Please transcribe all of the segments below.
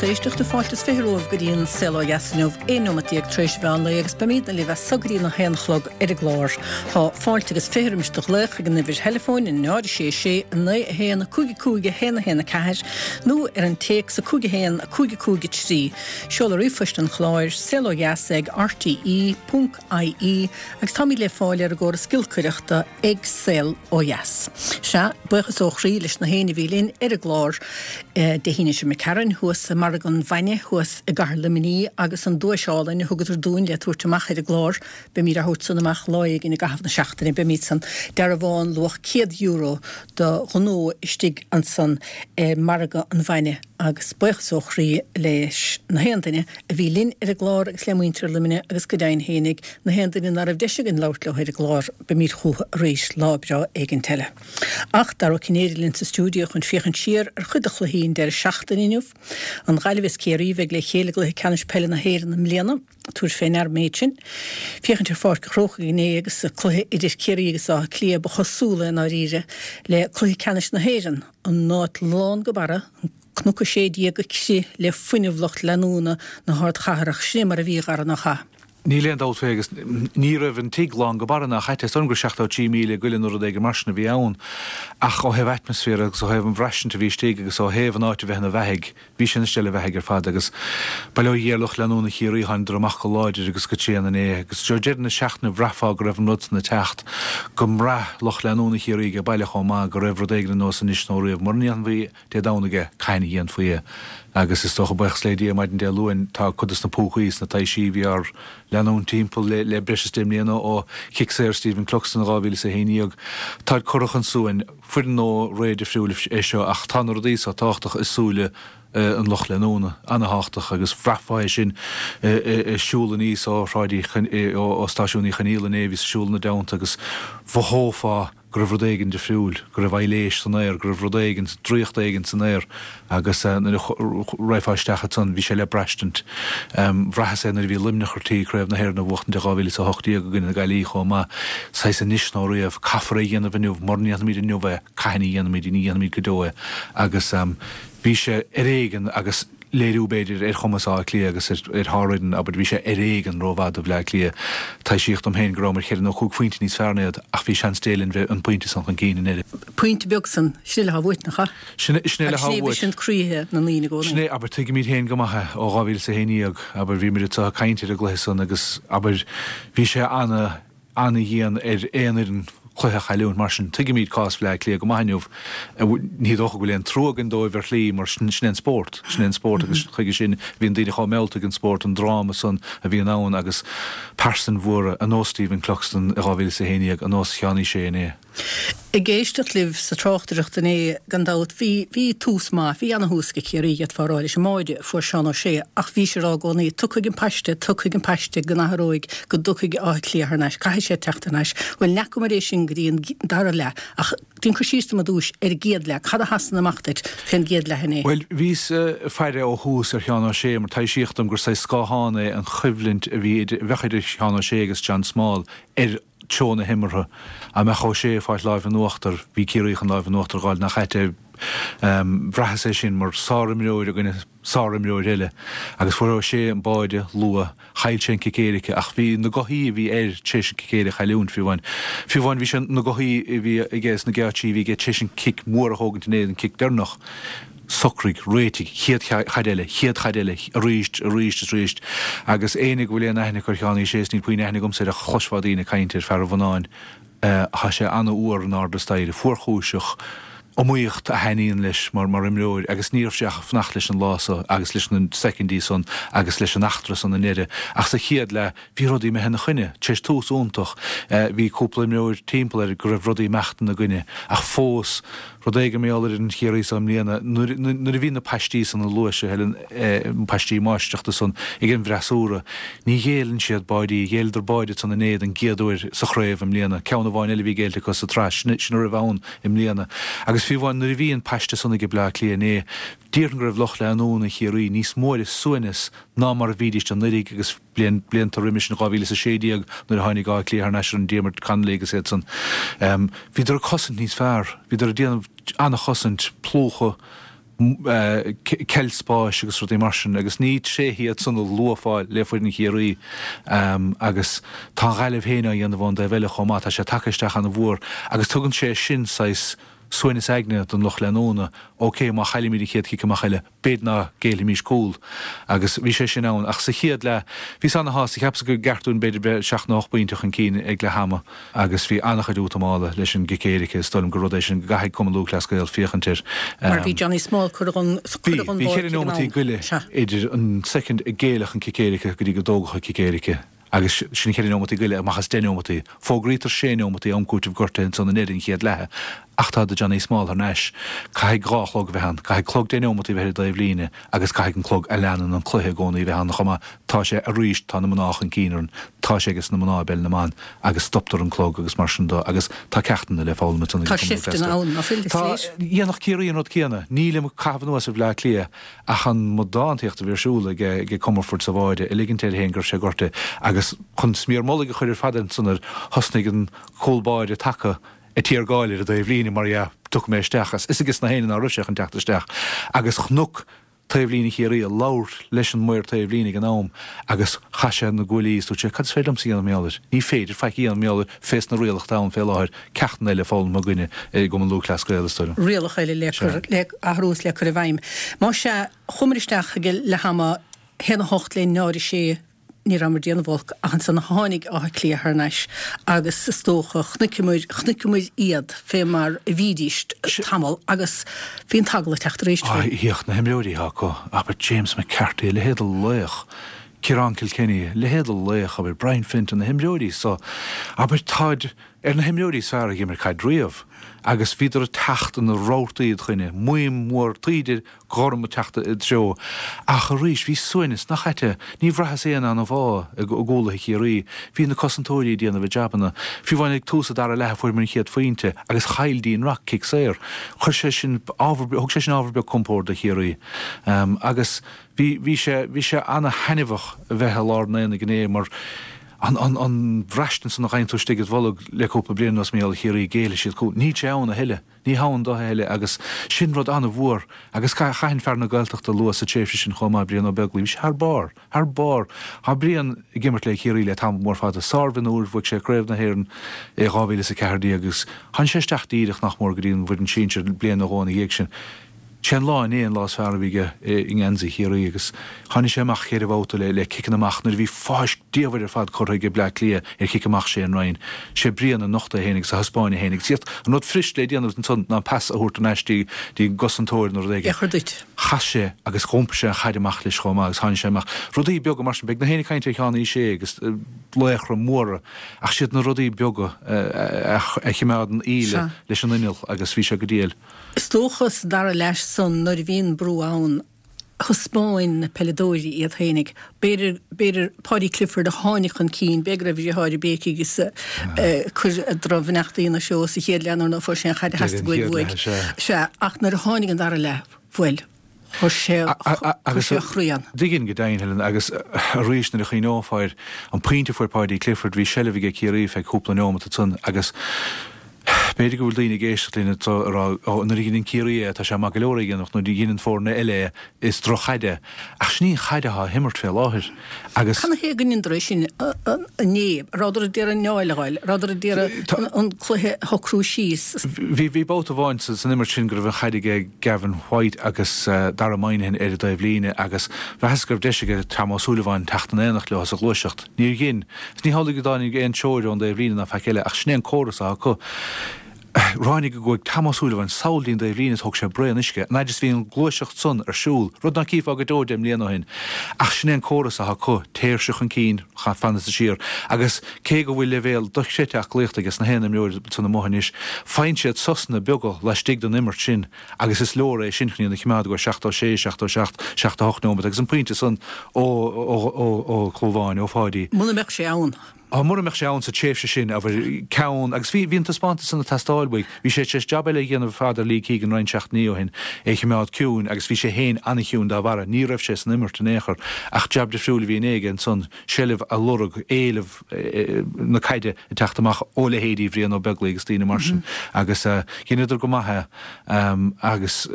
lucht éisteachta, fáilte is 20 romhaibh go dtí an Saol Ó Dheas inniu, 11 nóimeat tar éis an mheán lae agus beimidne libh as so go dtí an 1 a chlog ar an gclár. Tá fáilte agus 20 roimis do ghlaoch ag an uimhir theileafóin 0 6 6 9 1 5 5 1 1 4 nó ar an téacs 5 1 5 5 3. Seoladh ríomhphoist an chláir, saolodheas ag rte. ie agus táimid le fáil ar an gcóras giolcaireachta ag Saol Ó Dheas. Sea, buíochas ó chroí leis na héinne a bhí linn ar an gclár Dé hAoine seo imigh tharainn, thuas i Margadh an Bhainne thuas i gcathair Luimnigh agus an duais álainn a thugadar dúinn le tabhairt amach ar an gclár. Beimid á thabhairt san amach lá éigin i gcaitheamh na seachtaine. Beimid san. Dearbhán luach €100 do ghnó istigh ansan i Margadh an Bhainne agus buíochas ó chroí leis na haon duine a bhí linn ar an gclár agus le muintir Luimnigh agus go deimhin fhéinig, na haon duine ná raibh deis againn labhairt leo ar an gclár, beimid chucu arís lá breá éigint eile. Ach Dara Ó Cinnéide linn sa stiúideo chun féachaint siar ar chuid de chluichí an deireadh seachtaine inniu. An Ghaillimh is Ciarraí a bheidh le chéile i gcluiche ceannais peile na hÉireann i mbliana. Tabhair fé ndear an méid sin. Féachaint ar Pháirc an Chrócaigh inné agus cluiche idir Ciarraí agus Áth Cliath ba chosúla i ndáiríre le cluiche ceannais na hÉireann, an áit lán go barra, an Cnoc 16 ag crith le fuinneamh lucht leanúna na hardchathrach. Sin é mar a bhí, a Dhara, nach ea? Níl aon dabht fé agus ní raibh an tigh lán go barra nach ait. Is dóigh liom gur 73,000 go leith nó rud éigin mar sin a bhí ann. Ach ó thaobh atmaisféar agus ó thaobh an bhraistint a bhí istigh agus ó thaobh an áit a bheith ina bheathaidh, bhí sé ina steille bheathaidh ar fad agus bail ó Dhia ar lucht leanúna Chiarraí, thánadar amach go láidir agus go tréan inné agus ó deireadh na seachtaine bhraithfeá go raibh an rud san ag teacht, go mbraith lucht leanúna Chiarraí age baile chomh maith go raibh rud éigin ar nós anois nó riamh. Mura ndéanfaí Dé Domhnaigh é, cathain a dhéanfaí é? Agus is dócha, buíochas le Dia, maidin Dé Luain, tá cuid dos na púcaí is na taibhsí a bhí ár leanúint timpeall le breis is deich mbliana ó chic saor Stephen Cluxton in 2011, táid curtha chun suain. Foireann ó ré difriúil é seo ach tá na rudaí so tábhachtach i súile an lucht leanúna, ana-thábhachtach agus bhraithfeá é sin ag siúl aníos ó Shráid Uí, ó Stáisiún Uí Chonaola inné, bhíos ag siúl ina dteannta agus mhothófá go raibh rud éigin difriúil, go raibh aibhléis san aer, go raibh rud éigin, draíocht éigin san aer agus nuair a raghfá isteach ansan, bhí sé le braistint. Bhraitheas é nuair a bhí Luimneach ar tí Craobh na hÉireann a bhuachtaint i 2018 i gcoinne na Gaillimhe chomh maith. Saghas anois nó riamh, caithfear é a dhéanamh inniu, mura ndéanfaimid inniu é, cathain a dhéanfaimid, ní dhéanfaimid go deo é. Agus bhí sé ar éigean agus. léiriú, b'fhéidir, ar chumas Átha Cliath agus ar shárfhoireann, abair, bhí sé ar éigean rómhaith do Bhleá Cliath. Taibhsíodh dom féin go rabhamar cheithre nó chúig phointe níos fearr ná iad, ach bhí seans Dé linn bheith an pointe san chun cinn i ndeireadh. Pointe beag san, sin é le há bhuait, nach ea? Sin é, sin é le há bhuait. Agus sin é a bhriseann croíthe na ndaoine i gcónaí. Sin é, abair, tuigimid féin go maith é ó 2011, abair, bhíomar anseo ag caint ar an gcluiche san agus, abair, bhí sé ana, ana-dhian ar aon fhoireann cluiche a chailliúint. Mar sin, tuigimid cás Bhleá Cliath go maith inniu. Ní dócha go bhfuil aon trua againn dóibh ar shlí mar sin é an spórt. Sin é an spórt agus chuige sin a bhíonn daoine chomh meallta ag an spórt, an dráma san a bhíonn ann agus pearsain mhóra ar nós Stephen Cluxton i 2011, ar nós Sheáin Uí Shé inné. Ag éisteacht libh sa tráchtaireacht inné, gan dabht, bhí, bhí tús maith, bhí ana-thús ag Ciarraí, d'fhéadfá a rá, leis an mbáide a fuair Seán Ó Sé, ach bhís ag rá i gcónaí, tiocfaidh an paiste, tiocfaidh an paiste go n-athróidh, go dtiocfaidh Áth Cliath thar n-ais, caithfidh sé teacht thar n-ais. Bhuel, n'fheacamar é sin go dtí an dara leath, ach déan cur síos dom ar dtúis ar an gcéad leath, cad a sheasann amach duit fén gcéad leath inné? Bhuel, bhíos ag faire ó thús ar Sheán Ó Sé mar taibhsíodh dom gur saghas scáthán é an choimhlint a bhí idir, a bheadh idir Sheán Ó Sé agus John Small ar treo na himeartha. Dá mbeadh Ó Sé ag fáilt láimh in uachtar, bhí Ciarraí chun láimh in uachtar a dh'fháil nach ait é. Bhraitheas é sin mar sárimreoir i gcoinne sárimreoir eile. Agus fuair Ó Sé an báide luath. Chaill sé an cic éirice ach bhí na gothaí a bhí air tar éis an cic éirice a chailliúint, fiú amháin. Fiú amháin bhí sé na gothaí a bhí aige is na geáitsí a bhí aige tar éis an cic mhór a thógaint inné, an cic deireanach. Socraigh, réitigh, chéad chaid eile, chéad chaid eile, arís, arís is arís. Agus éinne go bhfuil aon aithne acu ar Sheán Uí Shé, is níl puinn aithne agamsa air ach chloisfeá daoine ag caint ar fear an Bhonnáin, tá sé an-fhuar in airde staighre, fuarchúiseach, iomaíocht a thaitníonn leis mar imreoir agus ní raibh sé ach ag fanacht leis an lá so agus leis na soicindí san agus leis an eachtra san i ndeireadh. Ach sa chéad leath, Bhí rudaí imithe ina choinne. Tar éis tús iontach, bhí cúpla imreoir timpeall air go raibh rudaí imeacht ina gcoinne. Ach fós, rud éigin mar gheall ar fhoireann Chiarraí seo i mbliana, nuair a bhí na paistí san a luaigh sé, Helen, paistí máistreachta san ag an bhfreasúra, ní ghéilleann siad báidí. Ghéilleadar báide san inné don gcéad uair sa chraobh i mbliana. Ceann amháin eile a bhí géillte acu sa tsraith, sin a raibh ann i mbliana. Agus fiú amháin nuair a bhí an paiste san ag Bleá Cliath inné, déarfainn go raibh lucht leanúna Chiarraí níos mó ar a suaimhneas ná mar a bhídís anuraidh agus bliain, blianta roimis in 2016 nuair a tháinig Áth Cliath thar n-ais ar an Diarmuid Connolly agus iad san. Bhíodar ag cosaint níos fearr. Bhíodar ag déanamh an-chosaint, plúchadh. Ceilt spáis agus rudaí mar sin agus ní tréithe iad san a luafá le foireann Chiarraí agus tá an Ghaillimh féin á dhéanamh ón dtaobh eile chomh maith, tá sé tagtha isteach ana-mhór agus tugann sé sin saghas suaimhneas aigne don lucht leanúna, ok, má chaillimid an chéad chic amach eile, b'fhéidir ná géillfimís cúl. Agus bhí sé sin ann. Ach sa chéad leath, bhíos ana-shásta, cheapas gur gceart dúinn b'fhéidir bheith seacht nó ocht bpointe chun cinn ag leath ama agus bhí an-chuid útamála leis an gcic éirice. Is dóigh liom gur rud é sin go gcaithfidh Cumann Lúthchleas Gael féachaint air. Mar bhí Johnny Small curtha dhon Bhí, bhí cheithre neomataí go leith idir an soicind a géilleadh an cic éirice go dtí go dtógadh an cic éirice. Agus sin cheithre neomataí go leith amach as deich neomataí. Fógraítear sé neomataí am cúitimh gortaithe ansan i ndeireadh an chéad leatha. Ach tá do Johnny Small thar n-ais. Caithfidh 2 chlog a bheith ann. Caithfidh clog deich neomataí a bheith ar an dtaobh líne agus caithfidh an clog a leanann an cluiche i gcónaí a bheith ann chomh maith. Tá sé arís, tá na mná chun cinn orainn. Tá sé ages na mná i bpeil na mban agus stoptar an clog agus mar sin do agus tá ceachtanna le foghlaim ansan ag Tá seifteanna ann, ná fuil? Is Tá. Dhéanfadh Ciarraí an rud céanna. Nílim ag caitheamh anuas ar Bhleá Cliath Ach an amadántaíocht a bhí ar siúl ag Comerford sa bháire, ag ligint air féin go raibh sé gortaithe, agus chun smior mullaigh a chur ar fad ansan air, thosnaigh an cúl báire taca ag tiargáil ar an dtaobh líne, mar dhea, tiocfaidh mé isteach, is fhios ages na héinne ná raibh sé chun teacht isteach, agus chonac taobh líne Chiarraí ag labhairt leis an maor taobh líne ag an am, agus chaith sé na guaillí is dúirt sé, cad is féidir liomsa a dhéanamh mar gheall air? Ní féidir faic a dhéanamh mar gheall air fés na rialacha atá ann fé láthair, ceachtanna eile foghlamtha againne i gCumann Lúthchleas Gael, is dóigh liom. Rialacha eile le cur, le athrú is le cur i bhfeidhm. Más ea, chuamar isteach ag leath ama, 1 8 le 0 6, ní rabhamar ag déanamh olc ach ansan tháinig Áth Cliath thar n-ais agus is dócha chonaiceamar, chonaiceamar iad fé mar a bhídís tamall agus bhí an t-eagla ag teacht arís faoi. Bhíodh na himreoirí atá acu, abair James McCarthy, a leithéid de laoch, Ciarán Kilkenny, a leithéid de laoch, abair Brian Fenton, na himreoirí so, abair táid ar na himreoirí is fearr a dh'imir caid riamh agus bhíodar ag teacht ina rabhartaí id choinne, maidhm mhór taoide gorm ag teacht id treo. Ach arís, bhí suaimhneas, nach ait é? Ní bhraitheas aon anbhá i gcúlaithe Chiarraí. Bhí na cosantóirí ag déanamh a jabanna. Fiú amháin ag tús an dara leath a fuaireamar an chéad phointe agus chaill Dean Rock cic saor. Chuir sé sin ábhar, thug sé sin ábhar beag compoird do Chiarraí. Agus Bhí, bhí sé, bhí sé ana-thaitneamhach a bheith i lár an aonaigh inné mar an, an, an bhraistint san a gheibheann tú istigh id bholg le cúpla bliain anuas mar gheall ar Chiarraí, géillfidh siad cúl. Níl sé ann a thuilleadh. Ní hann do a thuilleadh agus sin rud ana-mhór agus chaithfinn fear na Gaeltachta a lua sa tréimhse sin chomh maith, Brian Ó Beaglaoich. Bhí sé thar barr. Thar barr. Tá Brian ag imirt le Ciarraí le tamall mór fada. Sár-mhionúir, bhuaigh sé Craobh na hÉireann i 2014 agus tháinig sé isteach díreach nach mór go dtí an bhfoireann sinsir bliain nó dhó ina dhiaidh sin. Sé an lá inné an lá is fearr a bhí aige i ngeansaí Chiarraí agus tháinig sé amach cheithre bhabhta le ciceanna amach nuair a bhí fáisc diamhair ar fad curtha ag Bleá Cliath ar chic amach Shane Ryan. Sé Brian a nocht é féin agus a thaispeáin é féin agus iad an rud fuirist le déanamh ansan ná an pas a thabhairt thar n-ais dtí an gcosantóir nó rud éigin. Eochair duit. Chas sé agus dh'iompaigh sé an chaid amach leis chomh maith agus tháinig sé amach. Rudaí beaga mar sin. Beidh na héinne ag caint ar Sheán Uí Shé agus laochra móra ach siad na rudaí beaga a chimeádann íle leis an inneall agus bhí sé go diail. Is dócha sa dara leath san nuair a bhíonn brú ann, thaispeáin na peileadóirí iad fhéinig. B'fhéidir, b'fhéidir Paudie Clifford a tháinig chun cinn, b'fhéidir go raibh a dheartháir ag béicigh is ag cur drochbheannachtaí ina threo sa chéad leath nuair ná fuair sé an chaid a theastaigh uaidh. Sea, ach nuair a tháinig an dara leath, bhuel, chuir sé, chuir sé a chroí ann. Tuigim go deimhin, Helen, agus arís nuair a chuimhneofá ar an pointe a fuair Paudie Clifford, bhí seilbh aige Ciarraí feadh cúpla neomat ansan agus B'fhéidir go bhfuil daoine ag éisteacht linn atá ag rá, Ó, nuair a dheineann Ciarraí é, tá sé maith go leor é a dhéanamh, ach nuair a dheineann foirne eile é, is droch-chaid é. Ach sin í an chaid atá á himirt fé láthair. Agus. Cad ina thaobh go ndeineadar é sin inné? An rabhadar ag iarraidh an fheoil a fháil? An rabhadar ag iarraidh an cluiche a shocrú síos? Bhí, bhí babhta amháin san imirt sin go raibh an chaid aige Gavin White agus Dara Moynihan ar an dtaobh líne agus mheasas go raibh deis aige Tom Ó Súilleabháin teacht in éineacht leo sa ghluaiseacht. Níor dhein. Is ní hamhlaidh go dtáinig aon treoir ón dtaobh líne ná faic eile, ach sin é an córas atá acu. Ráinig go gcuaigh Tom Ó Súilleabháin sall dtí'n dtaobh líne is thóg sé braon uisce, an fhaid is bhí an gluaiseacht san ar siúl, rud ná cífeá go deo deich mbliana ó shin. Ach sin é an córas atá acu, téirse chun cinn, fanfaidh siar. Agus cé go bhfuil leibhéal dochreidte aclaíochta aige sna haon imreoir san amuigh anois, faigheann siad sosanna beaga laistigh den imirt sin. agus is leor é sin chun iad a choimeád go 76, 77, 78 nóiméad agus an pointe san ó, ó, ó, ó Chlúmháin, ó Pháidí. Muna mbeadh sé ann. Á, mura mbeadh sé ann sa tréimhse sin, abair, ceann, agus bhí, bhí an taispeántas san ag teastáil uaidh. Bhí sé tar éis jab eile a dhéanamh ar fad ar Lee Keegan roinnt seachtainí ó shin, é a chimeád ciúin, agus bhí sé féin an-chiúin dá bharra. Ní raibh sé san imirt in aon chor. Ach jab difriúil a bhí inné aige ansan, seilbh a lorg, éileamh na caide ag teacht amach ó leithéidí Bhrian Ó Beaglaoich agus daoine mar sin. Agus dheineadar go maith é. Agus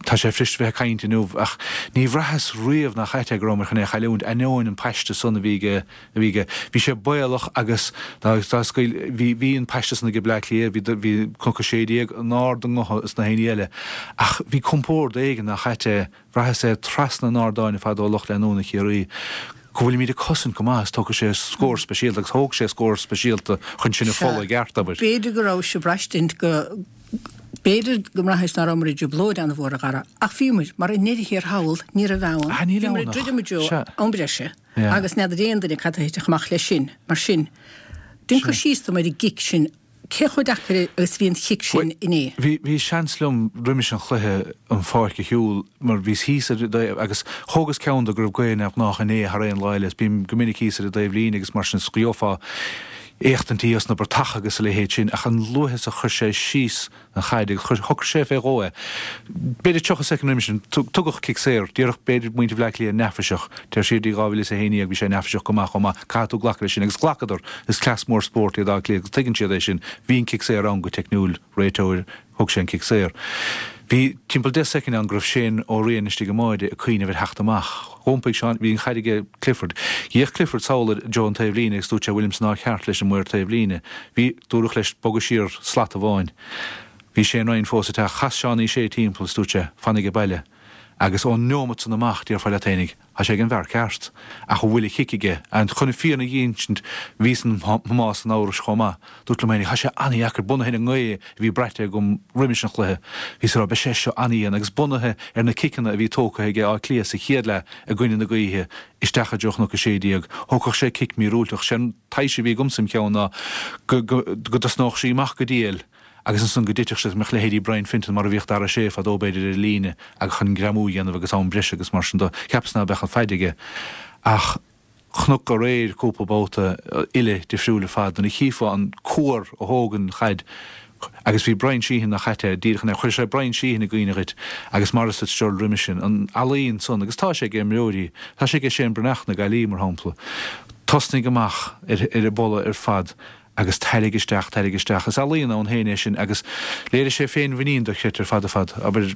tá sé fuirist a bheith ag caint inniu, ach ní bhraitheas riamh nach ait é go rabhamar chun é a chailliúint, ainneoin an paiste san a bhí aige, a bhí aige. Bhí sé baolach agus dá scaoil, bhí, bhí an paiste san aige Bleá Cliath, bhí, bhí Cnoc 16 in ard a ngutha is na héinní eile, ach bhí compord éigin nach ait é, bhraitheas é trasna an ardáin ar fad ó lucht leanúna Chiarraí go bhfuilimid ag cosaint go maith is tógfaidh sé scór speisialta agus thóg sé scór speisialta chun sinn a pholladh i gceart, abair. B'fhéidir go rabhais ag braistint go, b'fhéidir go mbraithis ná rabhamar i dtrioblóid an-mhór a Dhara, ach bhíomar, mar i ndeireadh thiar thall ní raibh ann, bhíomar ag druidim i dtreo am breise. Agus n'fheadar aon duine cad a thitfeadh amach leis sin. Mar sin, déan cur síos dom ar an gcic sin. Cé chomh deacair agus a bhí an chic sin inné? Bhí, bhí seans liom roimis an chluiche an pháirc a shiúl mar bhíos thíos ar an dtaobh agus thógas ceann de go raibh gaoth neamhghnách inné thar aon lá eile is bím go minic thíos ar an dtaobh líne agus mar sin is gheofá éachtaintí os na bratacha agus a leithéid sin ach an luaithe is a chuir sé síos an chaid agus chuir, shocraigh sé fé dhó é. B'fhéidir 30 soicind roimis sin, tugadh cic saor. Déarfadh b'fhéidir muintir Bhleá Cliath neafaiseach. Téir siar dtí 2011, bhí sé neafaiseach go maith chomh maith. Caithfidh tú glacadh leis sin. Agus ghlacadar. Is cleas mór spóirt iad Áth Cliath agus tuigeann siad é sin. Bhí an cic saor ann go teicniúil, réiteoir, thug sé an cic saor. Bhí timpeall 10 soicind ann go raibh Shane Ó Riain istigh i mbáide ag cuimhneamh ar theacht amach. Dh'iompaigh Seán, bhí an chaid aige Clifford. D'fhéach Clifford sall ar Joe an taobh líne agus dúirt sé bhfuilim san áit cheart leis an maor taobh líne. Bhí. Dúradh leis bogadh siar slat amháin. Bhí Shane Ryan fós ag teacht. Chas Seánie Sé timpeall is dúirt sé, Fanaig abhaile. Agus ón neomat san amach, déarfá leat fhéinig, tá sé ag an bhfear ceart. Ach an bhfuil a chic aige? And chun an fírinne a dh'insint, bhíos in thomás an amhrais chomh maith. Dúrt liom fhéinig, tá sé an-dheacair, bunaithe ar an ngaoth a bhí braite agam roimis an chluiche. Bhíos ag rá, beidh sé seo an-dhian. Agus bunaithe ar na ciceanna a bhí tógtha aige Áth Cliath sa chéad leath i gcoinne na gaoithe, isteach i dtreo Chnoc 16, thógfadh sé cic míorúilteach. Sé an taibhse a bhí agamsa im cheann ná go dtosnódh sí amach go diail agus ansan go dtitfeadh sé, go mbeadh leithéidí Brian Fenton mar a bhíodh Dara Ó Sé fadó b'fhéidir ar an líne agus chun greamú a dhéanamh agus am breise agus mar sin do. Cheapas ná beadh an faid aige ach chonac aréir cúpla babhta uile difriúil ar fad nuair a chífeá an cuar a thóg an chaid Agus bhí Brian Sheehan nach ait é, díreach an Chuir sé Brian Sheehan i gcuimhne dhuit agus Maurice Fitzgerald roimis sin, an ealaín san, agus tá sé ag imreoirí, tá sé ag Shane Breathnach na Gaillimhe, mar shampla. Tosnaigh amach ar ar an bpolla ar fad agus tairrig isteach, tairrig isteach. Is ealaíon ann féin é sin agus léirigh sé féinmhuinín dochreidte ar fad ar fad, abair,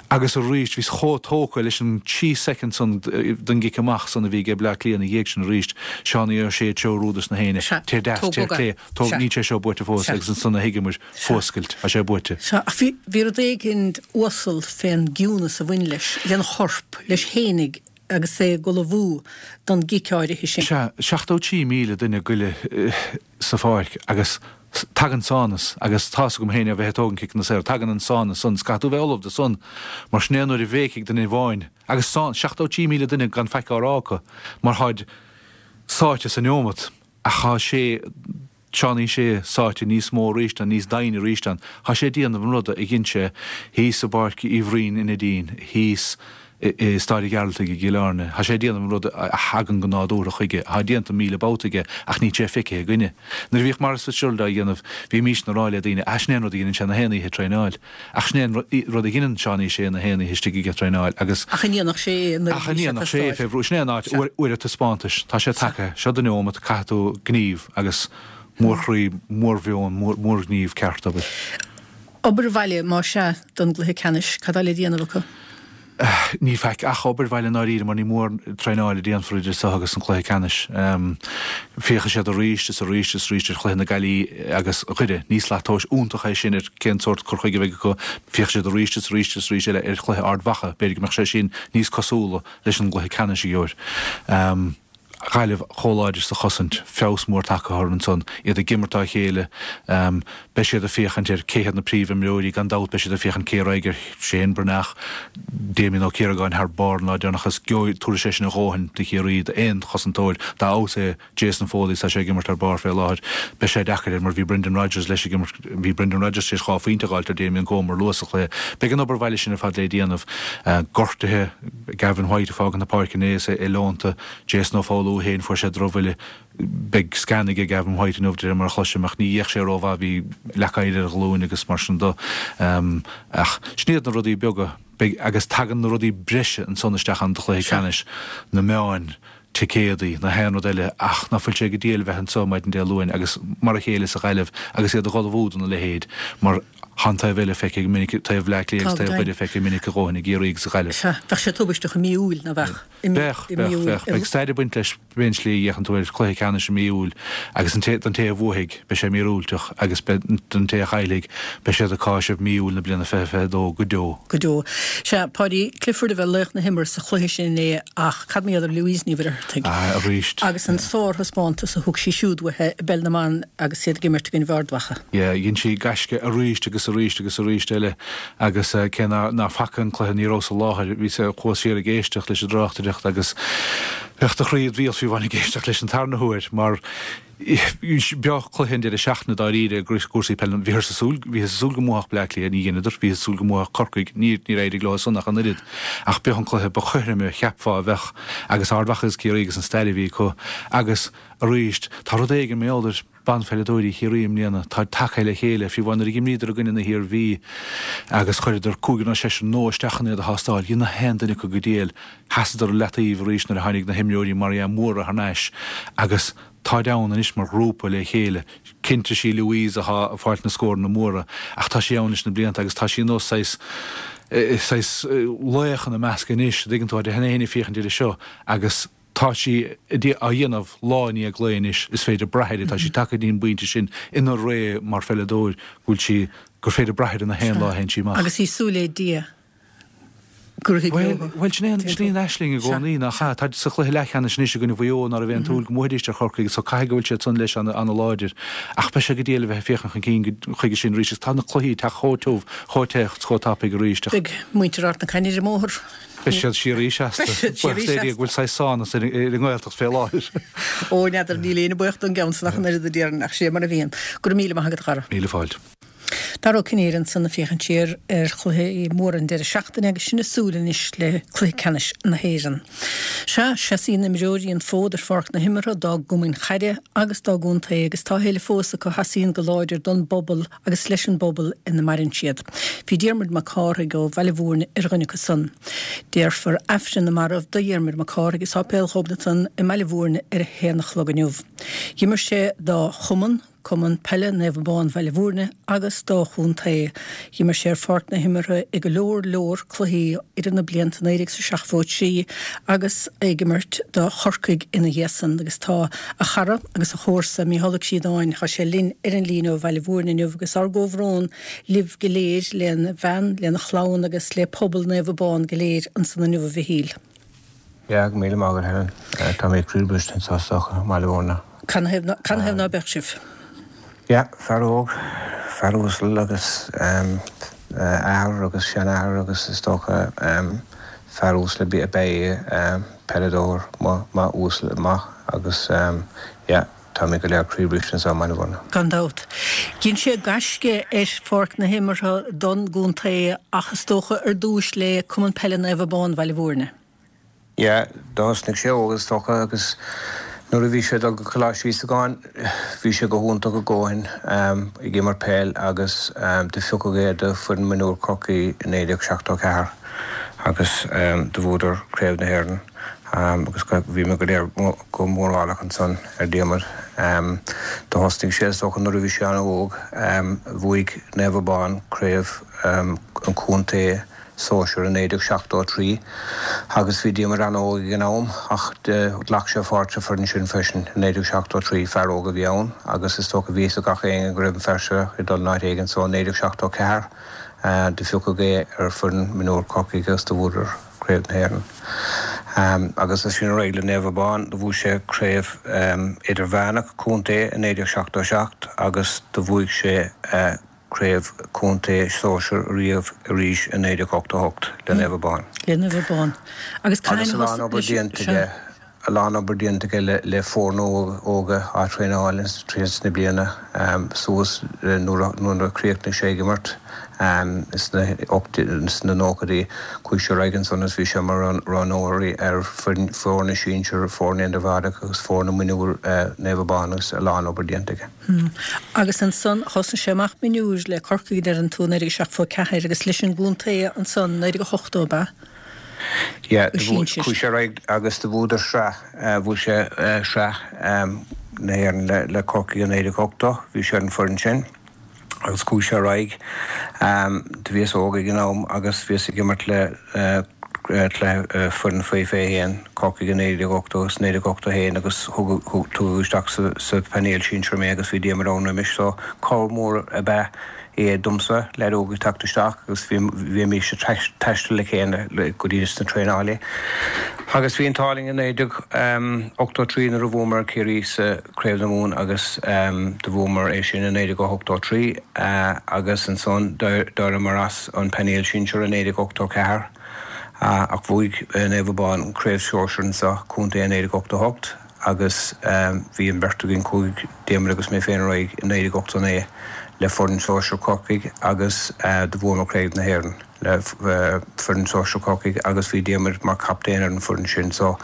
agus arís bhíos chomh tógtha leis an trí soicind san den gcic amach san a bhí aige Bleá Cliath ina dhiaidh sin arís, Seánie Ó Sé ag treorú dos na héinne, téir deas, téir clé, Tóg, níl sé seo buaite fós agus ansan a thuigeamair, fuascailt, tá sé buaite. Sea, ach bhí, bhí rud éigin uasal fén gciúnas a bhain leis, lena chorp, leis fhéinig agus é ag ullmhú don gcic áirithe sin. Sea, 73,000 duine goile sa pháirc agus tagann sánas agus tá's agam féin ó bheith ag tógaint ciceanna saora, tagann an sánas san, is caithfidh tú bheith ullamh do san mar sin é an uair a bhéicfidh duine amháin agus 73,000 duine gan faic á rá acu mar tháid sáite sa neomat. Ach thá sé, Seánie Sé, sáite níos mó arís ann, níos doimhne arís ann. Thá sé ag déanamh an ruda a dhein sé thíos i bPáirc Uí Bhroin i Neidín, thíos i Stáid an Ghearaltaigh i gCill Airne. Thá sé ag déanamh an ruda a thagann go nádúrtha chuige, athá déanta 1,000 babhta aige ach níl sé feicthe againne. Nuair a bhíodh Maurice Fitzgerald á dhéanamh, bhímísne a rá le daoine, ah, sin é an rud a dheineann sé na haon oíche ag traenáil. Ach sin é an rud a dheineann Seánie Sé na haon oíche istigh ag traenáil agus. Ach an ndéanfadh sé é nuair a bhí sé ag sé fé bhrú. Sin é an áit, uair an taispeántais. Tá sé tagtha. Seo do neomat, caithfidh tú gníomh agus mórchroí, mórmheon, mórghníomh ceart, abair. Obair bhaile, más ea, don gcluiche ceannais, cad tá le déanamh acu? Níl faic ach obair bhaile i ndáiríre mar ní mór traenáil a déanfar idir seo agus an cluiche ceannais. Féachfaidh siad arís is arís is arís ar chluiche na Gaillimhe agus Dhoire. Ní slat tomhais iontach é sin ar cén sórt cur chuige a bheidh acu. Féachfaidh siad arís is arís is arís eile ar chluiche Ard Mhacha. B'fhéidir go mbeadh sé sin níos cosúla leis an gcluiche ceannais a gheobhair. Gaillimh chomh láidir sa chosaint, feabhas mór tagtha orthu ansan, iad ag imirt dá chéile. Beidh siad ag féachaint ar cé hiad na príomhimreoirí, gan dabht beidh siad ag féachaint cé a raghaidh ar Shane Breathnach, Damien Ó Ciaragáin thar barr an lá deireanach agus gheobhaidh, tabharfaidh sé sin a dhóthain do Chiarraí, d'aon chosantóir, dá fheabhas é Jason Foley is tá sé ag imirt thar barr fé láthair. Beidh sé deacair air mar bhí Brendan Rodgers leis ag imirt, bhí Brendan Rodgers tar éis dhá phointe a dh'fháilt ar Damien Comer luath sa chluiche. Beidh an obair bhaile sin ar fad le déanamh. Gortuithe. Gavin White ag fágaint na páirce inné is é leonta, Jason Ó Foghlú. Lú féin, fuair sé drochbhuille. Beidh scan aige Gavin White inniu de réir mar a chloisim ach ní dhéach sé rómhaith, bhí leac oighir ar a ghlúin agus mar sin do. Ach sin iad na rudaí beaga. Beidh, agus tagann na rudaí breise ansan isteach ann do chluiche ceannais, na meáin, ticéadaí, na haon rud eile ach ná fuil sé go diail bheith anso maidin Dé Luain agus mar a chéile sa Ghaillimh agus iad ag ullmhú do na leithéid mar tá an taobh eile feicthe go minic, taobh Bhleá Cliath agus taobh Dhoire feicthe minic a dhóthain i gCiarraí agus sa Ghaillimh. Sea, bheadh sé tubaisteach i mí Iúil, ná bheadh? Bheadh, bheadh, bheadh. Beidh stair ag baint leis pé slí a fhéachann tú air, cluiche ceannais i mí Iúil agus an té, don té a bhuafaidh, beidh sé míorúilteach agus beidh, don té a chaillfidh, beidh siad ag cáiseamh mí Iúil na bliana 2022 go deo. Go deo. Sea, Paudie Clifford a bheidh laoch na himeartha sa chluiche sin inné ach cad mar gheall ar Louise Ní Mhuircheartaigh? Ah, arís. Agus an sárthaispeántas a thug sí siúd uaithi i bPeil na mBan agus iad ag imirt i gcoinne Ard Mhacha. Yeah, dhein sí gaisce arís agus arís agus arís eile agus cé ná faca an cluiche ní rabhas i láthair, bhíos, chuas siar ag éisteacht leis an dtráchtaireacht agus bheadh do chroí id bhéal fiú amháin ag éisteacht leis an tarna huair mar b'eo cluiche an deireadh seachtaine dáiríre i gcúrsaí peile. Bhíothas ag súil, bhíothas ag súil go mbuafadh Bleá Cliath, ní dheineadar, bhíothas ag súil go mbuafadh Corcaigh, níor, níor éirigh leo san ach an oiread. Ach b'eo an cluiche ba chothroime, cheapfá, a bheadh agus Ard Mhacha agus Ciarraí agus an stair a bhí acu agus arís tá rud éigin mar gheall ar banpheileadóirí Chiarraí i mbliana, táid tagtha le chéile, fiú amháin nuair a dh'imríodar i gcoinne na hIarmhí agus chuireadar cúigear nó seisear nua isteach chun iad a thástáil, dhein na haon duine acu go diail. Sheasadar i leataobh arís nuair a tháinig na himreoirí mar dhea móra thar n-ais agus táid ann anois mar ghrúpa le chéile. Cinnte sí Louise athá ag fáilt na scóranna móra ach tá sí ann leis na blianta agus tá sí nós saghas saghas laoch ina measc anois, a dtuigeann tú, tá na héinne ag féachaint uirthi seo agus Tá sí á dhéanamh lá i ndiaidh lae anois, is féidir brath uirthi, tá sí tagtha go dtí an bpointe sin ina ré mar pheileadóir go bhfuil sí, gur féidir brath uirthi na haon lá a théann sí amach. Agus í súil le Dia go rithfidh leo. Bhuel, sin é an, sin í an aisling i gcónaí, nach ea? Táid sa chluiche leathcheannais anois i gcoinne Mhaigh Eo, ná raibh aon tsúil go mbuafaidís ar Chorcaigh, so caithfidh go bhfuil siad san leis ana-láidir. Ach beidh sé go diail a bheith ag féachaint chun cinn chuige sin arís agus tá na cluichí ag teacht chomh tiubh, chomh te, chomh tapaidh arís. Beidh muintir Ard na Caithne ar an mbóthar. Beidh siad síoraí seasta. Buíochas le Dia go bhfuil saghas sánas ar an nGaeltacht fé láthair. Ó, n'fheadar, níl éinne buíoch don gceann san ach an oiread a déarfainn, ach sé mar a bhíonn. Go raibh míle maith agat, a Dhara. Míle fáilte. Dara Ó Cinnéide ansan ag féachaint siar ar chluichí móra an deireadh seachtaine agus sinn ag súil anois le cluiche ceannais na hÉireann. Sea, seasaíonn imreoirí an fód ar pháirc na himeartha dá gcumainn chaide agus dá gcontae agus tá a thuilleadh fós acu a sheasaíonn go láidir don bpobal agus leis an bpobal ina maireann siad. Bhí Diarmuid Mac Cárthaigh ó Bhaile Mhúirne ar dhuine acu san. Déarfar Aifreann na Marbh do Dhiarmuid Mac Cárthaigh i Sáipéal Ghobnatan i mBaile Mhúirne ar a haon a chlog inniu. D'imir sé dá chumann, Cumann Peile Naomh Abán Bhaile Mhúirne agus dá chontae. D'imir sé ar pháirc na himeartha i go leor leor cluichí idir na blianta 1973 agus ag imirt do Chorcaigh ina dhiaidh san agus tá a chara agus a chomharsa, Mícheál Ó Críodáin, tá sé linn ar an líne ó Bhaile Mhúirne inniu agus ár gcomhbhrón libh go léir, lena bhean, lena chlann agus le pobal Naomh Abán go léir ansan inniu a Mhichíl. Yeah, go míle maith agat Helen. Tá mé croíbhriste anseo is dócha, i mBaile Mhúirne. Canathaobh ná beadh sibh? Yeah, fear óg, fear uasal agus athair agus seanathair agus is dócha fear uasal ab ea é, peileadóir maith uasal maith agus yeah, táimid go léir croíbhriste anseo i mBaile Mhúirne. Gan dabht. Dhein sé gaisce ar pháirc na himeartha don gcontae ach is dócha ar dtúis le Cumann Peile Naomh Abán Bhaile Mhúirne. Yeah, do thosnaigh sé óg is dócha agus nuair a bhí sé ag dul go Coláiste Íosagáin bhí sé go hiontach a dhóthain ag imirt peil agus do phiocadh é do foireann mionúr Chorcaí i 1974 agus do bhuadar Craobh na hÉireann agus bhí muid go léir go mórálach ansan ar Diarmuid. Do thosnaigh sé is dócha nuair a bhí sé an-óg, bhuaigh Naomh Abán Craobh an Chontae Sóisear i 1973 agus bhí Diarmuid an-óg ag an am ach ghlac sé pháirt sa foireann sin freisin i 1973. Fear óg a bhí ann agus is dócha bhí fhios ag gach éinne go raibh an fear seo ag dul in áit éigin so i 1974 do phiocadh é ar foireann mionúr Chorcaí agus do bhuadar Craobh na hÉireann. Agus as sin ar aghaidh le Naomh Abán do bhuaigh sé Craobh Idirmheánach Contae i 1977 agus do bhuaigh sé Craobh Contae Sóisear riamh arís i 1988 le Naomh Abán. Le Naomh Abán. Agus a lán obair déanta aige, a lán obair déanta aige le foirne óga á traenáil tríd na bliana suas nuair a chríochnaigh sé ag imirt. Sna nóchaidí, chuaigh sé ar aghaidh ansan agus bhí sé mar roghnóirí ar foirne sinsir, foirne idirmheánach agus foirne mionúir Naomh Abán agus a lán obair déanta aige. Agus ansan thosnaigh sé amach mionúir le Corcaigh a deireann tú, 1974 agus leis an gcontae ansan, 1980 ab ea? Yeah, chuaigh sé ar aghaidh agus do bhuadar sraith, bhuaigh sé sraith na hÉireann le Corcaigh i 1980, bhí sé ar an foireann sin. Agus chuaigh sé ar aghaidh. Do bhíos óg ag an am agus bhíos ag imirt le cluiche foireann faoi 21, Corcaigh i 1980 agus 1981 agus tugadh isteach sa phainéal sinsir mé agus bhí Diarmuid ann roimis so cabhair mhór ab ea é domsa, leaid óg ag teacht isteach agus bhímis ag taisteal le chéile go dtí sna traenálaí. Agus bhí an t-ádh linn i 1983 nuair a bhuamar Ciarraí sa Craobh na Mumhan agus do bhuamar é sin i 1983 agus ansan d'éiríomar as an painéal sinsir i 1984 ach bhuaigh Naomh Abán an Craobh Sóisir anso, Contae i 1988 agus bhí an bheirt againn, chuaigh Diarmuid agus mé féin ar aghaidh i 1989 le foireann sóisir Chorcaigh agus do bhuamar Craobh na hÉireann. le foireann sóisir Chorcaigh agus bhí Diarmuid mar chaptaen ar an foireann sin so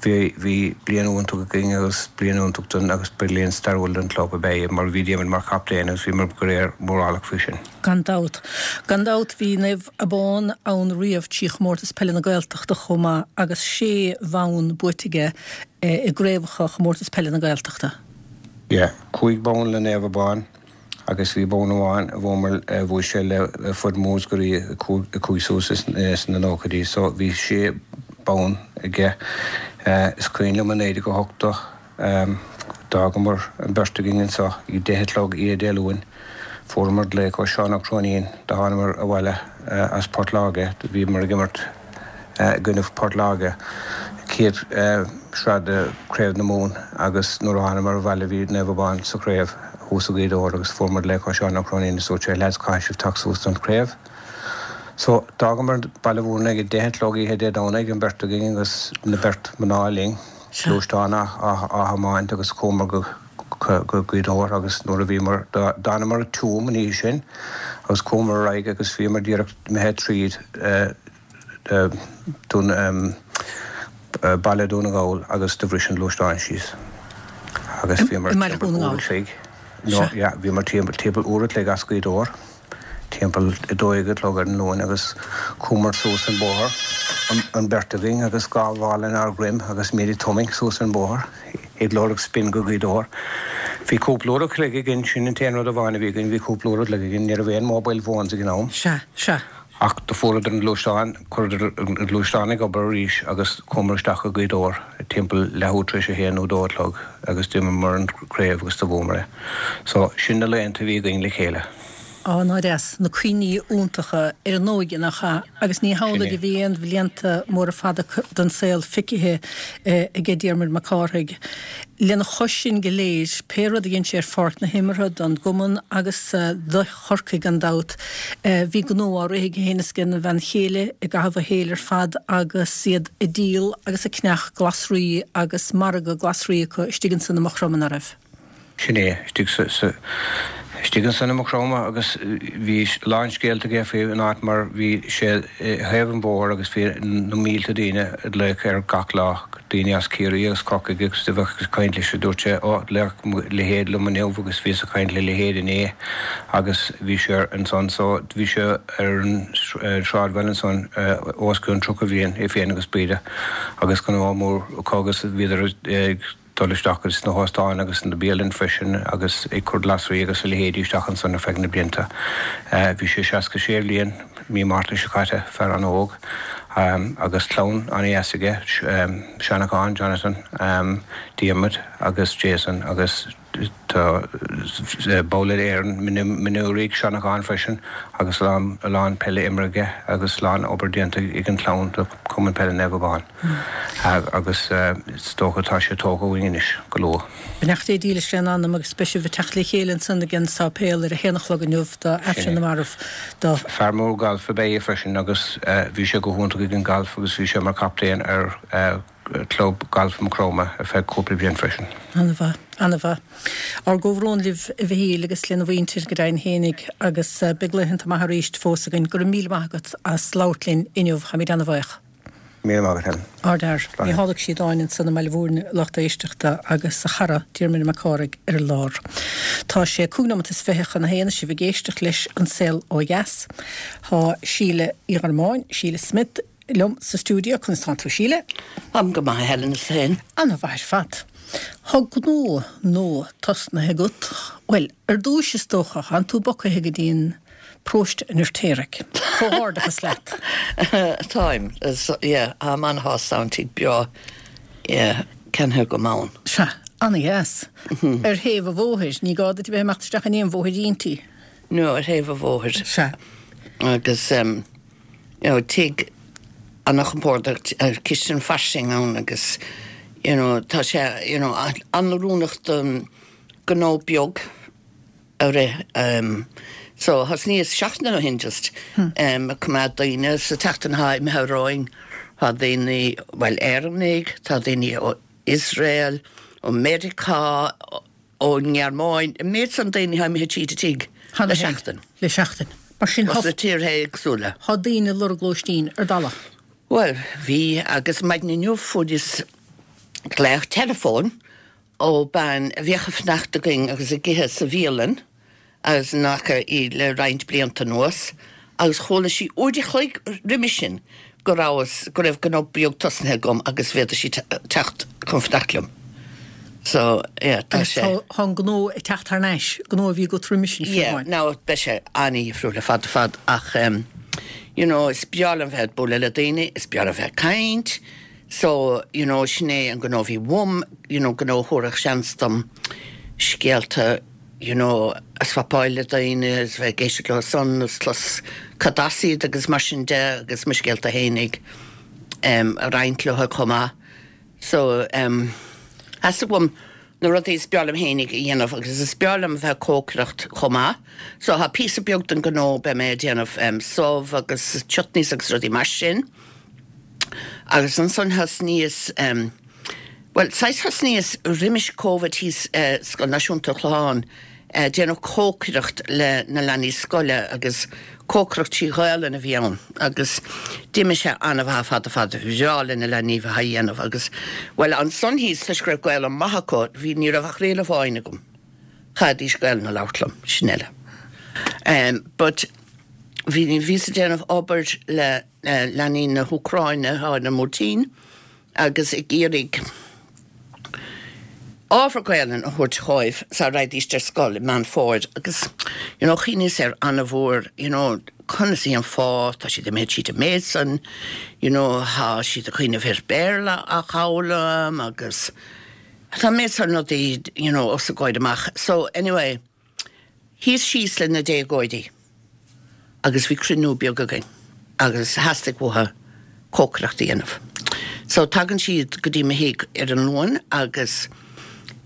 bhí bhí bliain iontach againn agus bliain iontach don agus bliain stairiúil don club ab ea é mar bhí Diarmuid mar chaptaen agus bhíomar go léir mórálach faoi sin. Gan dabht. Gan dabht bhí Naomh Abán ann riamh trí Chomórtas Peile na Gaeltachta chomh maith agus sé bhonn buaite aige i gcraobhacha Chomórtas Peile na Gaeltachta. Yeah, 5 bonn le Naomh Abán. agus bhí bonn amháin a bhuamar, a bhuaigh sé le foireann Mhúscraí a chuaigh suas sna nóchaidí so bhí sé bonn aige. Is cuimhin liom i 1980 d'fhágamar an bheirt againn anso ag 10 a chlog oíche Dé Luain. Fuaireamar glaoch ó Seán Ó Cróinín, do thánamar abhaile as Port Láirge, do bhíomar ag imirt i gcoinne Port Láirge, chéad sraith de Chraobh na Mumhan agus nuair a thánamar abhaile bhí Naomh Abán sa chraobh thuas i Gaoth Dobhair agus fuair muid glaoch ó Seán Ó Cróinín is dúirt sé lads caithfidh sibh teacht suas don chraobh. So d'fhágamar Baile Mhúirne ag a deich a chlog oíche Dé Domhnaigh an beirt againn agus na beirt mná linn, gluaisteán á thiomáint agus chuamar go go Gaoth Dobhair agus nuair a bhíomar d'fhanamar i Tuaim an oíche sin agus chuamar ar aghaidh agus bhíomar díreach imithe tríd Dún Baile Dún na nGall agus do bhris an gluaisteán síos agus bhíomar timpeall uair a chloig no yeah bhíomar timpeall uair a chloig as Gaoth Dobhair timpeall 12 a chlog ar an Luan agus chuamar suas an bóthar an beirt againn agus dhá mhála inár ndroim agus muid ag tiomáint suas an bóthar ag lorg spin go Gaoth Dobhair. Bhí cúpla uair a chloig againn, sin an t-aon rud amháin a bhí againn, bhí cúpla uair a chloig againn, ní raibh aon mobile phones ag an am. Sea, sea. Ach do fuaireadar an gluaisteán, chuireadar an gluaisteán ag obair arís agus chuamar isteach go Gaoth Dobhair timpeall leathuair tar éis a haon nó dó a chlog agus d'imríomar an craobh agus do bhuamar é. So, sin na laethanta a bhí againn le chéile. Á, ná deas, na cuimhní iontacha ar an óige, nach ea? Agus ní hamhlaidh a bhí aon bhlianta móra fada den saol feicthe aige Diarmuid Mac Cárthaigh. Lena chois sin go léir, pé rud a dhein sé ar pháirc na himeartha don gcumann agus do Chorcaigh gan dabht, bhí gnó á rith aige féin is ag a bhean chéile i gcaitheamh a shaoil ar fad agus iad ag díol agus ag ceannach glasraí agus margadh glasraí acu istigh ansan i Maigh Chromtha, ná raibh? Sin é, istigh sa, sa, istigh ansan i Maigh Chromtha agus bhí a lán scéalta aige faoi an áit mar bhí sé i thaobh an bhóthair agus bhí na mílte daoine ag glaoch air gach lá, daoine as Ciarraí agus Corcaigh agus do bheadh ag caint leis dúirt sé, ó, ghlaoch mo leithéid liom inniu agus bhíos ag caint le leithéid inné agus bhí sé ansan so bhí sé ar an sráidbhaile ansan os cionn 30 bhliain, é féin agus Breda agus gnó mór acu agus bhíodar ag dul isteach sna hóstáin agus sna bialanna freisin agus ag cur glasraí agus a leithéidí isteach ansan ar feadh na blianta. Bhí sé 66 bhliain mí Márta seo caite, fear an-óg agus clann an-dheas aige, Seanachán, Jonathan, Diarmuid agus Jason agus tá ball d'fhoireann mionúirí ag Seanachán freisin agus a lán peile imeartha aige agus a lán obair déanta ag an chlann do Chumann Peile Naomh Abán. Agus is dócha tá sé tógtha uainn anois go luath. Beannacht Dé dílis lena anam agus beidh sibh ag teacht le chéile ansan ag an sáipéal ar a haon a chlog inniu do Aifreann na Marbh do. Fear mór gailf ab ea é freisin agus bhí sé go hiontach ag an galf agus bhí sé mar chaptaen ar Chlub Gailf Mhaigh Chromtha ar feadh cúpla bliain freisin. Ana-mhaith. Ana-mhaith. Ár gcomhbhrón libh a Mhichíl agus lena mhuintir go deimhin fhéinig agus beidh laethanta maithe arís fós againn. Go raibh míle maith agat as labhairt linn inniu. Táimid ana-bhaoch. Míle maith agat Helen. Ardfhear. Mícheál Ó Síodáin ansan i mBaile Mhúirne, a lucht éisteachta, agus a chara, Diarmuid Mac Cárthaigh, ar an lár. Tá sé cúig nóimeat is fiche chun a haon is sibh ag éisteacht leis An Saol Ó Dheas. Tá Síle Uí Ghormáin, Síle Smith, liom sa stiúideo. Conas tánn tú, Síle? Táim go maith, a Helen, is tú féin? Ana-mhaith ar fad. Tá gnó nua tosnaithe agat. Bhuel, ar dtúis is dócha, thánn tú bogtha go dtí an paróiste an Fheirtéaraigh. Comhghairdeachas leat. Táim, yeah, táim an-shásta ann, tigh breá, yeah, ceannaithe agam ann. Sea, ana-dheas. Ar thaobh an bhóthair, ní gá duit a bheith ag imeacht isteach in aon bhóithríntí. No, ar thaobh an bhóthair. Sea. Agus, you know, tigh ana-chompordach, cistin fairsing ann agus, you know, tá sé, you know, an-oiriúnach don gnó beag. a rith. So thosnaíos seachtain ó shin just ag coimeád daoine sa tseachtain atá imithe romhainn tá daoine, bhuel Éireannaigh, tá daoine ó Iosrael, ó Meiriceá, ón nGearmáin, an méid san daoine atá imithe tríd an tigh le seachtain. Le seachtain. Mar sin tá. As na tíortha éagsúla. Tá daoine ag lorg lóistín ar dalladh. Bhuel bhí agus maidin inniu fuaireas glaoch teileafóin ó bean a bhíodh ag fanacht againn agus ag ithe sa bhialann agus ní fhaca í le roinnt blianta anuas agus chuala sí uair a chloig roimis sin go rabhas, go raibh gnó beag tosnaithe agam agus bhféadfadh sí teacht chun fanacht liom. So, yeah, tá sé. Agus tá an gnó ag teacht thar n-ais, gnó a bhí agat roimis sin fiú Yeah, amháin. now beidh sé an-dhifriúil ar fad ar fad ach em you know is breá liom bheith ag bualadh le daoine, is breá liom bheith ag caint, So, you know, sin é an gnó a bhí uaim, you know, gnó a thabharfadh seans dom scéalta, you know, a swapáil le daoine agus bheith ag éisteacht leo san agus clos cad as iad agus mar sin de agus mo scéalta fhéinig em a roinnt leo chomh maith. So, em, theastaigh uaim na rudaí is breá liom fhéinig a dhéanamh agus is breá liom bheith ag cócaireacht chomh maith. So, tá píosa beag den gnó, beidh mé ag déanamh em subh agus chutneys agus rudaí mar sin. Agus ansan thosnaíos, bhuel, saghas thosnaíos roimis Covid thíos i Scoil Náisiúnta an Chlocháin, déanamh cócaireacht le na leanaí scoile agus cócaireacht trí Ghaolainn a bhí ann agus d'imigh sé an-mhaith ar fad ar fad, bhreá le na leanaí bheith á dhéanamh agus, bhuel, ansan thíos toisc go raibh Gaolainn maith acu, bhí, ní raibh ach riail amháin agam, chaithfidís Gaolainn a labhairt liom, sin uile. But bhí, bhíos ag déanamh obair le. leanaí na hÚcráine atá ar an mBuairtín agus ag iarraidh ábhar Gaelainn a thabhairt dhóibh sara raghaidís ar scoil i Meán Fómhair agus you know chuimhníos air an-mhór you know conas í an fáth tá siad imithe tríd an méid san you know tá siad ag cuimhneamh ar Béarla a fhoghlaim agus tá an méid san rudaí you know os a gcomhair amach so anyway Shuíos síos le na déagóirí agus bhí cruinniú beag againn agus theastaigh uathu cócaireacht a dhéanamh. So tagann siad go dtí mo thigh ar an Luan agus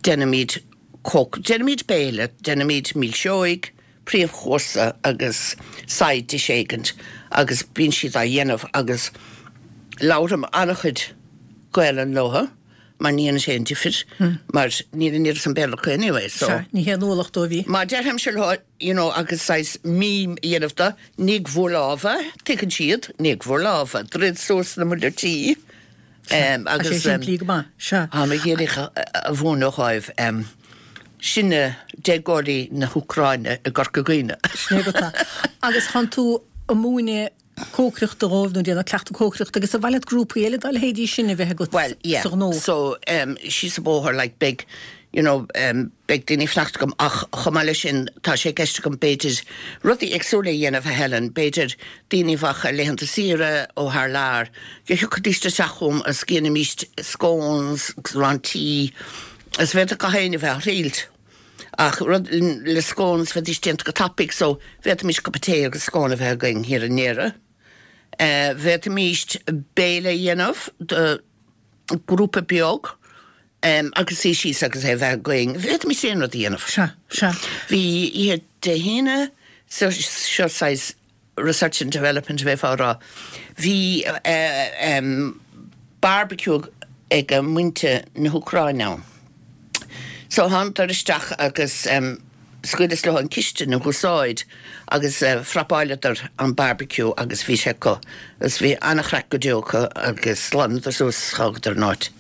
déanaimid cóc, déanaimid béile, déanaimid milseoig, príomhchúrsa agus side dish éigint agus bíonn siad á dhéanamh agus labhraim an-chuid Gaelainn leo. mar ní dhéanann sé aon difir mar níl an oiread san Béarla acu anyway so. Sea, ní haon ualach dóibh í. Má deirfimse leo you know agus saghas mím a dhéanamh de, nigh bhur lámha, tuigeann siad, nigh bhur lámha, druid suas na muileartaí Sea, tá sé simplí go maith, sea. Táim ag iarraidh a mhúineadh dhóibh sinne déagóirí na hÚcráine i gCorca Dhuibhne. Sin é go tá. Agus tánn tú ag múineadh cócaireachta dhóibh nó déanamh cleachtadh cócaireachta agus ar mhaith leat grúpaí eile dá leithéidí sin a bheith agat Well, yeah, sa ghnó? so um, síos an bóthar like beidh you know um, beidh daoine ag fanacht agam ach chomh maith leis sin tá sé i gceist agam b'fhéidir rudaí éagsúla a dhéanamh a Helen, b'fhéidir daoine a bheadh ar laethanta saoire ó thar lear go thiocfaidís isteach chugam agus déanfaimíst scones agus arán tí agus bhféadfadh gach éinne a bheith á thriailt. Ach rud le scones, bheidís déanta go tapaidh so bhféadfaimis cupa tae agus scone a bheith againn thiar i ndeireadh. Bhféadfaimis béile a dhéanamh do grúpa beag agus suí síos agus é a bheith againn. Bhféadfaimis aon rud a dhéanamh. Sea, sea. Bhí oíche Dé hAoine seo saghas research and development a bheifeá a rá. Bhí barbecue ag muintir na hÚcráine ann. So thánadar isteach agus scaoileas leo an cistin a húsáid agus phrapáileadar an barbecue agus bhí sé acu agus bhí an-chraic go deo acu agus ghlanadar suas is dh'fhágadar an áit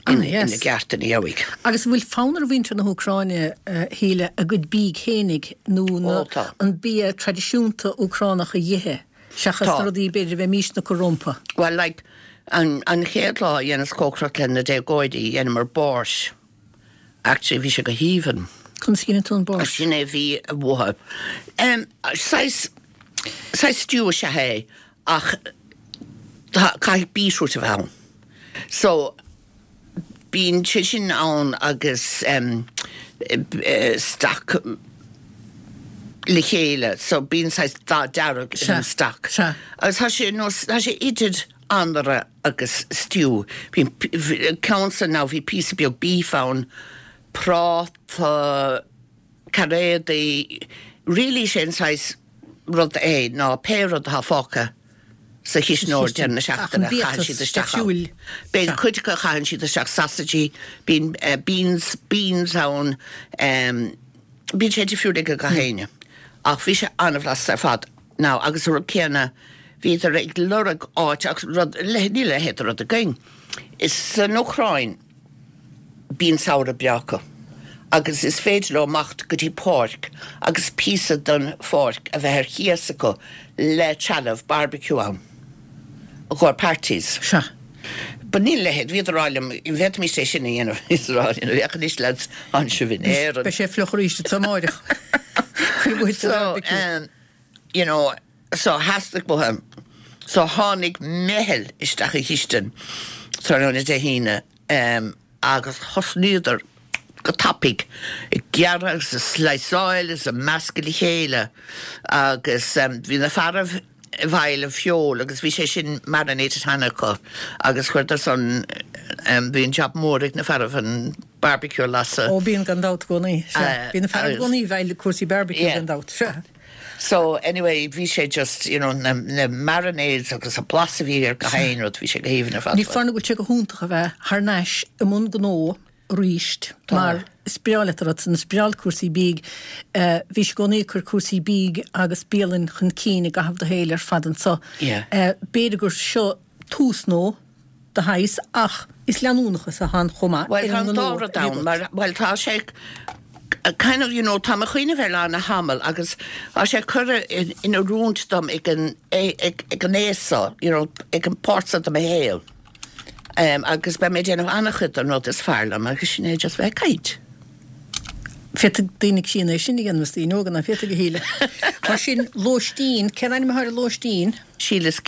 ina gceart ina dheabhaidh. Agus an bhfuil fonn ar mhuintir na hÚcráine, a Shíle, a gcuid bídh fhéinig nó an bia traidisiúnta Úcránach a dh'ithe seachas na rudaí b'fhéidir a bheimísne ag cur rompu? Bhuel, like, an chéad lá a dheineas cócaireacht le na déagóirí, dheineamar borscht. Actually, bhí sé go haoibhinn. Conas a dheineann tú an borscht? Sin é a bhí uathu. Saghas, saghas stew is ea é ach tá, caithfidh beetroot a bheith ann. So, bíonn sé sin ann agus stoc le chéile so bíonn saghas dath dearg ar an stoc. Agus tá sé nós, tá sé idir anraith agus stew. Bíonn ceann san now bhí píosa beag beef ann, práta, cairéadaí, really sé an saghas rud é ná pé rud atá fágtha sa chisneoir deireadh na seachtaine caitheann siad isteach ann. Bíonn cuid acu a chaitheann siad isteach sausages, bíonn beans, beans ann, bíonn sé difriúil ag gach éinne. Ach bhí sé an-bhlasta ar fad. Now agus an rud céanna bhíodar ag lorg áit ach rud, níl a leithéid de rud againn. Is san Úcráin bíonn samhradh breá acu agus is féidir leo imeacht go dtí páirc agus píosa den pháirc a bheith ar cíos acu le trealamh barbecue ann i gcomhair parties. Sea. But níl a leithéid, bhíodar ag rá liom, an bhféadfaimis é sin a dhéanamh? Bhíodar ag rá liom, féach anois lads, tánn sibh in Éirinn. Beidh sé fliuch arís anseo amáireach. Cuir uait So, barbecue. you know, so theastaigh uathu, so tháinig meitheal isteach an chistin tráthnóna Dé hAoine agus thosnaíodar go tapaidh ag gearradh agus ag sliceáil agus ag meascadh le chéile agus bhí na fearaibh i bhfeighil an feoil agus bhí sé sin marinated cheana acu agus chuireadar san, bhí an job mór ag na fearaibh an barbecue a lasadh. Ó bíonn gan dabht i gcónaí, sea. Bíonn na fearaibh i gcónaí i bhfeighil cúrsaí barbecue gan dabht, sea. So anyway bhí sé just you know na na marinades agus an blas a bhí ar gach aon rud bhí sé go haoibhinn ar fad. Ní foláir nó go bhfuil sé go hiontach a bheith thar n-ais i mbun gnó arís mar is breá leat an rud san, is breá leat cúrsaí bídh. Bhís i gcónaí ag cur cúrsaí bídh agus bialann chun cinn i gcaitheamh do shaoil ar fad anso. B'fhéidir gur seo tús nó de shaghas ach is leanúnachas atá ann chomh maith Bhuel tá an dá rud ann mar bhuel tá sé kind of you know tá mé ag cuimhneamh ar lá na hamall agus tá sé curtha in oiriúint dom ag an ag an aos seo you know ag an páirt seo de mo shaol agus beidh mé ag déanamh an-chuid den rud is fearr liom agus sin é just bheith ag caint. Féadfaidh daoine críonna é sin a dhéanamh is daoine óga ná féadfaidh a Shíle. Mar sin lóistín, cén ainm atá ar an lóistín? Sheila's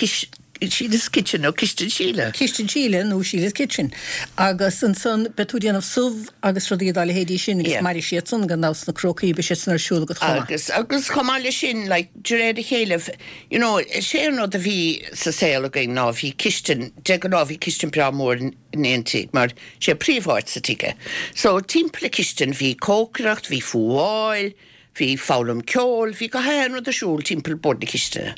Sheila's Kitchen nó Cistin Shíle. Cistin Shíle nó Sheila's Kitchen. Agus ansan beidh tú ag déanamh subh agus rudaí dá leithéidí sin agus mairfidh siad san gan dabht sna crócaí, beidh siad san ar siúl agat chomh maith. Agus, agus chomh maith leis sin, like, de réir a chéile, you know, is é an rud a bhí sa saol againn ná bhí cistin, de ghnáth bhí cistin breá mór in aon tigh mar sé príomháit sa tigh é. So timpeall an chistin bhí cócaireacht, bhí fuáil, Bhí foghlaim ceoil, bhí gach aon rud ar siúl timpeall bord na cistine.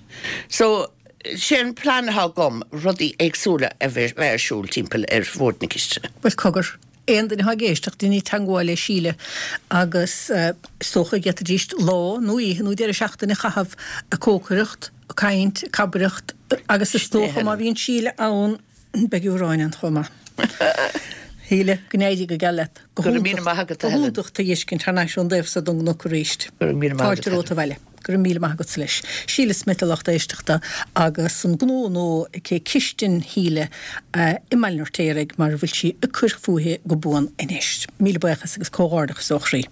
So, sé an plean atá agam rudaí éagsúla a bheith ar siúl timpeall ar bhord na cistine. Bhuel, cogar, aon duine atá ag éisteacht, déanaigí teagmháil le Síle agus is dócha go bhféadfaidís lá nó oíche nó deireadh seachtaine a chaitheamh ag cócaireacht, ag caint, ag cabaireacht agus is dócha má bhíonn Síle ann, Beidh aráin ann chomh maith. Shíle, go n-éirí go geal leat. Go raibh míle maith agat, a Helen. Go hiontach tú a fheiscint thar n-ais ón dtaobh so don gcnoc arís. Go raibh míle maith agat, Fáilte romhat abhaile. Go raibh míle maith agatsa leis. Síle Smith a lucht éisteachta agus an gnó nua aici Cistin Shíle i mBaile an Fheirtéaraigh mar a bhfuil sí ag cur fúithi go buan anois. Míle buíochas agus comhghairdeachas ó chroí.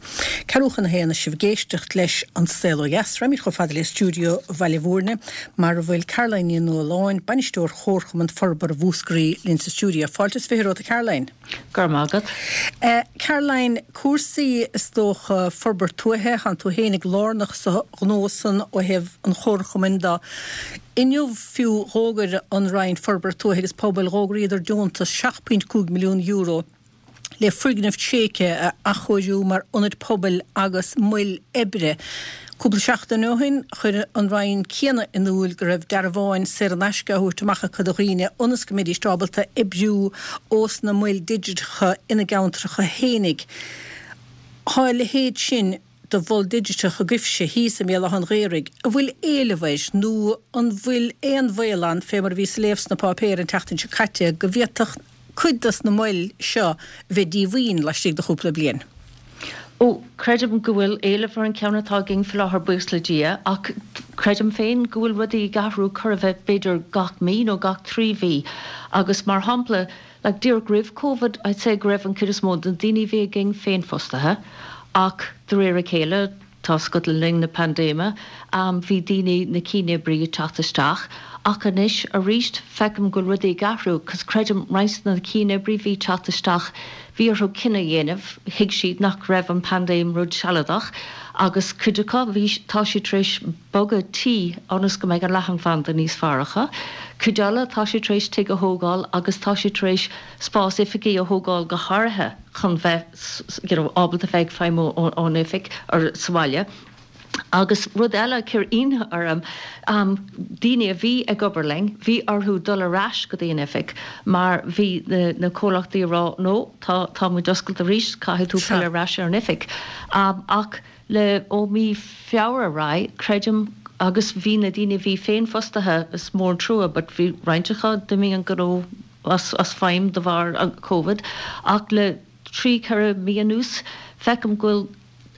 Ceathrú chun a haon is sibh ag éisteacht leis An Saol Ó Dheas. Raghaimid chomh fada le stiúideo Bhaile Mhúirne mar a bhfuil Caroline Ní Nualláin, Bainisteoir Chomharchumann Forbartha Mhúscraí linn sa stiúideo. Fáilte is 20 romhat a Caroline. Go raibh maith agat. Caroline, cúrsaí is dócha forbairt tuaithe, thánn tú fhéinig lárnach sa ghnó san ó thaobh an chomharchumainn de. Inniu fiú dh'fhógair an Roinn Forbartha Tuaithe agus Pobail, dh'fhógraíodar deontas €7.5 milliún le foirgnimh tréigthe a athchóiriú mar ionaid pobail agus moil oibre. Cúpla seachtain ó shin, chuir an Roinn céanna in iúl go raibh dearbháin saor in aisce á thabhairt amach acu do dhaoine ionas go mbeidís ábalta oibriú ós na moil digiteacha ina gceantracha fhéinig. Tá a leithéid sin de mhol digiteach agaibhse thíos i mBéal Átha an Ghaorthaidh, an bhfuil éileamh air nó an bhfuil aon bhaol ann, fé mar a bhíos ag léamh sna páipéir an tseachtain seo caite, go bhféadfadh cuid dos na moil seo bheith díomhaoin laistigh de chúpla bliain? Ó, creidim go bhfuil éileamh ar an cheann atá againn faoi láthair, buíochas le Dia, ach creidim féin go bhfuil rudaí ag athrú chor a bheith b'fhéidir gach mí nó gach 3 mhí agus mar shampla, like díreach roimh Covid, I'd say go raibh an chuid is mó de na daoine a bhí againn féinfhostaithe ach de réir a chéile, tá 's agat le linn na paindéime, bhí daoine, na cianoibrithe ag teacht isteach ach anois arís feicim go bhfuil rudaí ag athrú 'cause creidim roinnt de na cianoibrithe a bhí ag teacht isteach bhí orthu cinneadh a dhéanamh, thuig siad nach raibh an paindéim rud sealadach agus cuid acu bhí, tá siad tar éis bogadh tí ionas go mbeidh an leathanbhanda níos fearr acu, cuid eile tá siad tar éis tigh a thógáil agus tá siad tar éis spás oifigí a thógáil go háirithe chun bheith you know ábalta bheith ag feidhmiú ón oifig or sa bhaile. Agus rud eile a chuir ionadh orm, daoine a bhí ag obair linn, bhí orthu dul ar ais go dtí an oifig mar bhí na comhlachtaí ag rá no, tá, tá muid oscailte arís, caithfidh tú filleadh ar ais ar an oifig. Ach le, ó mí Feabhra ar aghaidh, creidim, agus bhí na daoine a bhí féinfhostaithe, is mór an trua but bhí roinnt acu, d'imigh an gnó as, as feidhm de bharr an Covid, ach le 3, 4 mí anuas, feicim go bhfuil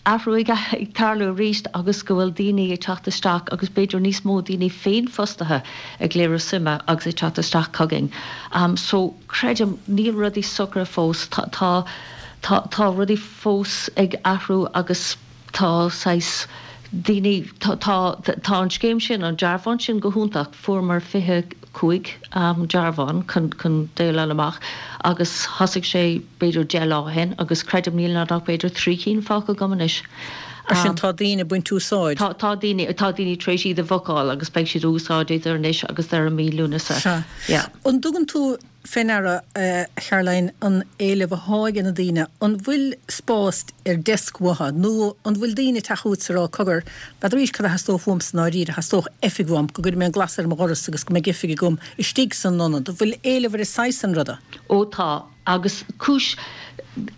athrú ag tarlú arís agus go bhfuil daoine ag teacht isteach agus b'fhéidir níos mó daoine féinfhostaithe ag léiriú suime agus ag teacht isteach chugainn. So, creidim, níl rudaí socraithe fós, tá, tá, tá rudaí fós ag athrú agus tá saghas daoine, tá, tá, tá an scéim sin, an dearbhán sin go hiontach, fuaireamar 25 dearbhán chun, chun déileáil amach agus thosaigh sé b'fhéidir 10 lá ó shin agus creidim níl ann ach b'fhéidir 3 cinn fágtha agam anois. Mar sin tá daoine ag baint úsáid. Tá, tá daoine, tá daoine tar éis iad a bhookáil agus beidh siad á úsáid idir anois agus deireadh mí Lúnasa. Sea. Yeah. An dtugann tú fé ndeara, a Charoline, an éileamh athá ag na daoine, an bhfuil spás ar desk uathu nó an bhfuil daoine ag teacht chugat is ag rá, cogar, n'fheadar cad a theastódh uaimse i ndáiríre, theastódh oifig uaim, go gcuirfidh mé an glas ar mo dhoras agus go mbeidh oifig agam istigh san ionad. An bhfuil éileamh ar an saghas san ruda? Ó tá. Agus cúis,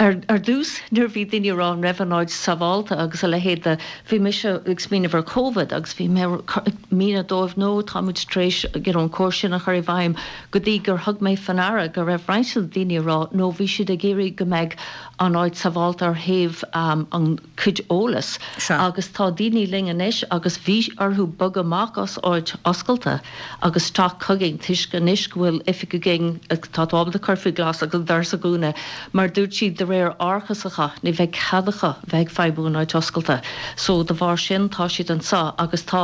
ar ar dtús nuair a bhí daoine ag rá an raibh an áit sábhálta agus a leithéid de, bhí mise ag smaoineamh ar Covid agus bhí mé ag míniú dóibh no táimid tar éis you know an córas sin a chur i bhfeidhm go dtí gur thug mé faoi ndeara go raibh roinnt de na daoine ag rá no bhí siad ag iarraidh go mbeidh an áit sábhálta ar thaobh an cuid eolas agus tá daoine linn anois agus bhí orthu bogadh amach as áit oscailte agus teacht chugainn toisc anois go bhfuil oifig againn tá tú ábalta cur faoi ghlas agus an doras a dhúnadh mar dúirt siad de réir árachas acu ní bheidh cead acu bheith ag feidhmiú in áit oscailte so de bharr sin tá siad anseo agus tá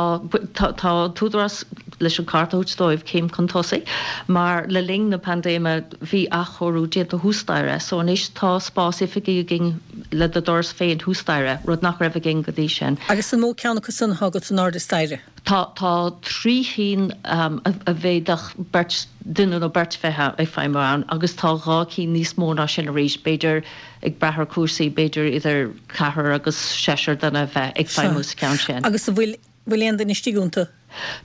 tá tá an tÚdarás leis an cárta a thabhairt dóibh céim chun tosaigh mar le linn na paindéime bhí athchóiriú déanta thuas staighre so anois tá spás oifigí againn le do doras féin thuas staighre, rud nach raibh againn go dtí sin. Agus an mó ceann acu san atá agat in airde staighre? Tá, tá 3 chinn a bhféadfadh beirt, duine nó beirt bheith ag feidhmiú ann agus tá 2 cinn níos mó ná sin arís, b'fhéidir, ag brath ar chúrsaí, b'fhéidir idir ceathrar agus seisear duine bheith ag feidhmiú sa cheann sin. Agus an bhfuil bhfuil aon duine istigh iontu?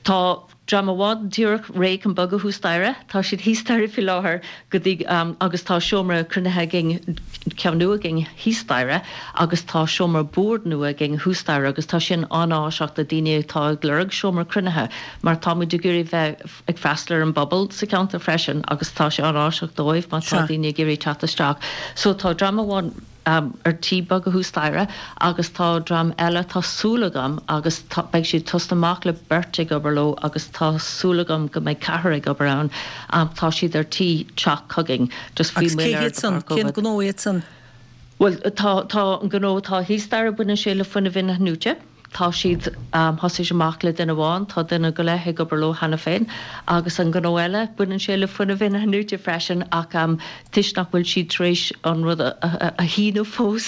Tá dream amháin díreach réidh chun bogadh thuas staighre. Tá siad thíos staighre faoi láthair go dtí agus tá seomra cruinnithe againn, ceann nua againn thíos staighre agus tá seomra boird nua againn thuas staighre agus tá sin an-áiseach do daoine atá ag lorg seomra cruinnithe mar tá muid ag iarraidh bheith ag freastal ar an bpobal sa cheantar freisin agus tá sé an-áiseach dóibh má tá daoine ag iarraidh teacht isteach. So tá dream amháin. ar tí bogadh thuas staighre agus tá dream eile, tá súil agam, agus tá, beidh siad tosnú amach le beirt ag obair leo agus tá súil agam go mbeidh ceathrar ag obair ann, tá siad ar tí teacht chugainn, just bhí Agus cé moill air hiad de san? bharr Cén Covid. gnó iad san? Bhuel, tá, tá an gnó atá thíos staighre, baineann sé le fuinneamh in-athnuaite. Tá siad, thosaigh amach le duine amháin, tá duine go leith ag obair leo cheana féin. Agus an gnó eile, baineann sé le fuinneamh in-athnuaite freisin ach toisc nach bhfuil siad tar éis an rud a shíniú fós,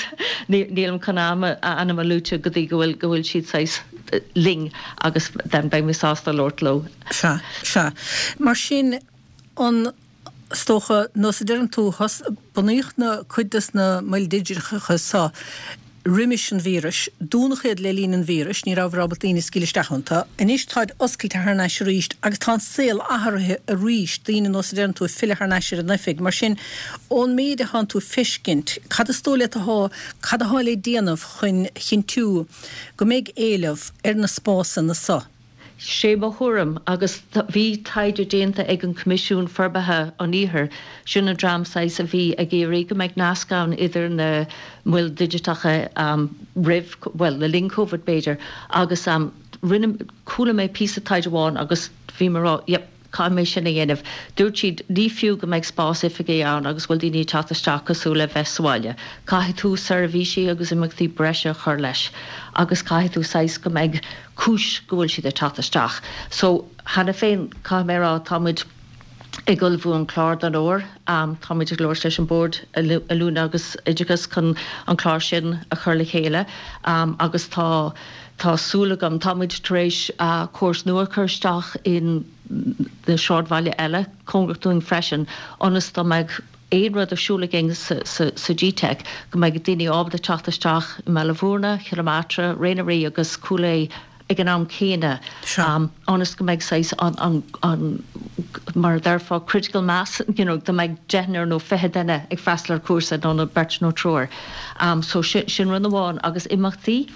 nílim chun a ainm a luaite go dtí go bhfuil, go bhfuil siad saghas linn agus then beidh mé sásta labhairt leo. Sea, sea. Mar sin, an. Is dócha, nós a deireann tú, bunaíodh na cuid des na moil digiteacha seo. roimis an víreas, dúnadh iad le linn an víris, ní rabhadar ábalta daoine a scaoileadh isteach iontu. Anois táid oscailte thar n-ais arís agus tá an saol athraithe arís, daoine nós a deireann tú ag filleadh thar n-ais ar an oifig. Mar sin, ón méid atánn tú ag feiscint, cad is dóigh leat athá, cad athá le déanamh chun chinntiú go mbeidh éileamh ar na spásanna so? Sé mo thuairim, agus bhí taighde déanta ag an Coimisiún Forbartha an Iarthair, sin an dream saghas a bhí ag iarraidh go mbeadh nasc ann idir na moil digiteacha roimh, bhuel, le linn Covid b'fhéidir, agus rinne, chuala mé píosa taighde amháin agus bhí mé ag rá, yep, Caithfidh mé sin a dhéanamh. Dúirt siad, ní fiú go mbeidh spás oifige ann agus go bhfuil daoine ag teacht isteach cosúil le bheith sa bhaile. Caithfidh tú seirbhísí agus imeachtaí breise a chur leis agus caithfidh tú saghas go mbeidh cúis go bhfuil siad ag teacht isteach. So, cheana féin, caithfidh mé a rá, tá muid ag ullmhú an clár don fhómhar. Tá muid ag labhairt leis an Bord Oiliúna agus Oideachais chun an clár sin a chur le chéile agus tá Tá súil agam. Tá muid tar éis córas nua a chur isteach in na sráidbhaile eile cóngarach dúinn freisin ionas dá mbeadh aon rud ar siúl againn sa GTeic go mbeidh daoine ábalta teacht isteach i mBaile Bhúirne, Chill Matra, Ré na Rí agus Cúil Aodha ag an am céanna ionas go mbeidh saghas an, an, mar a déarfá, critical mass, you know, dá mbeadh deichniúr nó 20 duine ag freastal ar chúrsa nó nó beirt nó triúr. So sin rud amháin agus imeachtaí.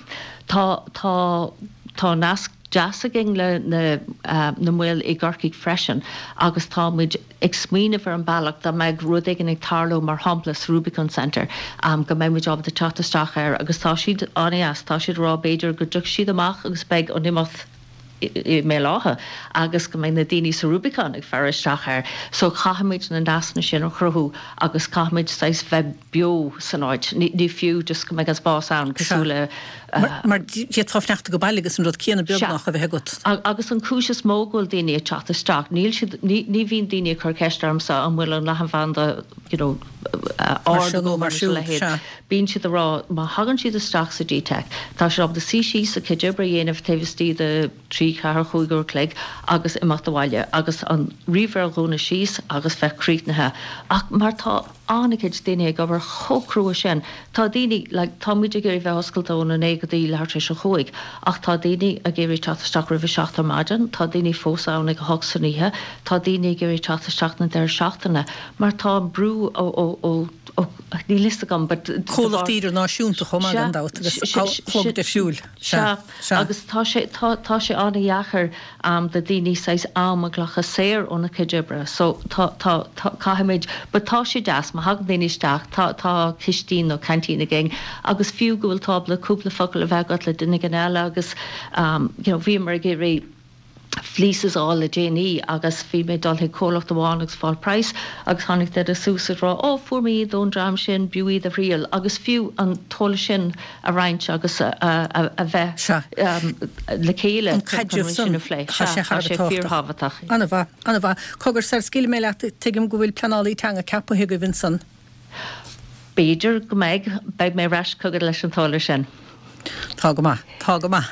Tá, tá, tá nasc deas againn le na, na moil i gCorcaigh freisin agus tá muid ag smaoineamh ar an bealach dá mbeadh rud éigin ag tarlú mar shampla sa Rubicon Centre go mbeidh muid ábalta teacht isteach air agus tá siad an-deas, tá siad ag rá b'fhéidir go dtiocfaidh siad amach agus beidh an imeacht i mBéal Átha agus go mbeidh na daoine sa Rubicon ag faire isteach air. So caithfimid na nascanna sin a chruthú agus caithfimid saghas bheith beo san áit. Ní fiú just go mbeidh an spás ann cosúil le. Mar d'fhéadfá fanacht ag baile agus an rud céanna beagnach a bheith agat. Agus an cúis is mó go bhfuil daoine ag teacht isteach, níl siad, ní bhíonn daoine ag cur ceist ormsa an bhfuil an leathanbhanda you know ard nó mar sin a leithéid. Bíonn siad ag rá, má thagann siad isteach sa GTeic, tá siad ábalta suí síos a gcuid oibre a dhéanamh taobh istigh de trí, ceathair, chúig uair a chloig agus imeacht abhaile agus an ríomhaire a dhúnadh síos agus bheith críochnaithe. Ach mar tá an-chuid daoine ag obair chomh crua sin, tá daoine, like, tá muid ag iarraidh bheith oscailte óna naoi go dtí leathuair tar éis a chúig, ach tá daoine ag iarraidh teacht isteach roimh a seacht ar maidin, tá daoine fós ann ag a hocht san oíche, tá daoine ag iarraidh teacht isteach na deireadh seachtaine mar tá an brú ó, ó, ó, Níl fhios agam but. Comhlachtaí idirnáisiúnta chomh maith gan dabht agus clog difriúil. Sea, sea. Agus tá sé, tá, tá sé an-dheacair do daoine saghas am a ghlacadh saor óna cuid oibre so tá, tá, tá, caithfimid, but tá sé deas má thagann daoine isteach, tá, tá cistín nó canteen againn agus fiú go bhfuil tú ábalta cúpla focal a bheith agat le duine éigin eile agus you know bhíomar ag iarraidh fleeces a fháil le déanaí agus bhí mé ag dul chuig comhlacht amháin agus fáil praghas agus tháinig duine suas ag rá oh fuair mé iad ón dream sin b'fhiú iad a thriail agus fiú an t-eolas sin a roinnt agus a bheith le chéile An caidreamh sin a phlé. Tá sé thar a bheith fíorthábhachtach. An-mhaith, an-mhaith. Cogar, sar scaoilfidh mé leat, tuigim go bhfuil pleanálaí teanga ceaptha agaibh ansan. B'fhéidir go mbeidh. Beidh mé ar ais chugat leis an t-eolas sin. Tá go maith. Tá go maith.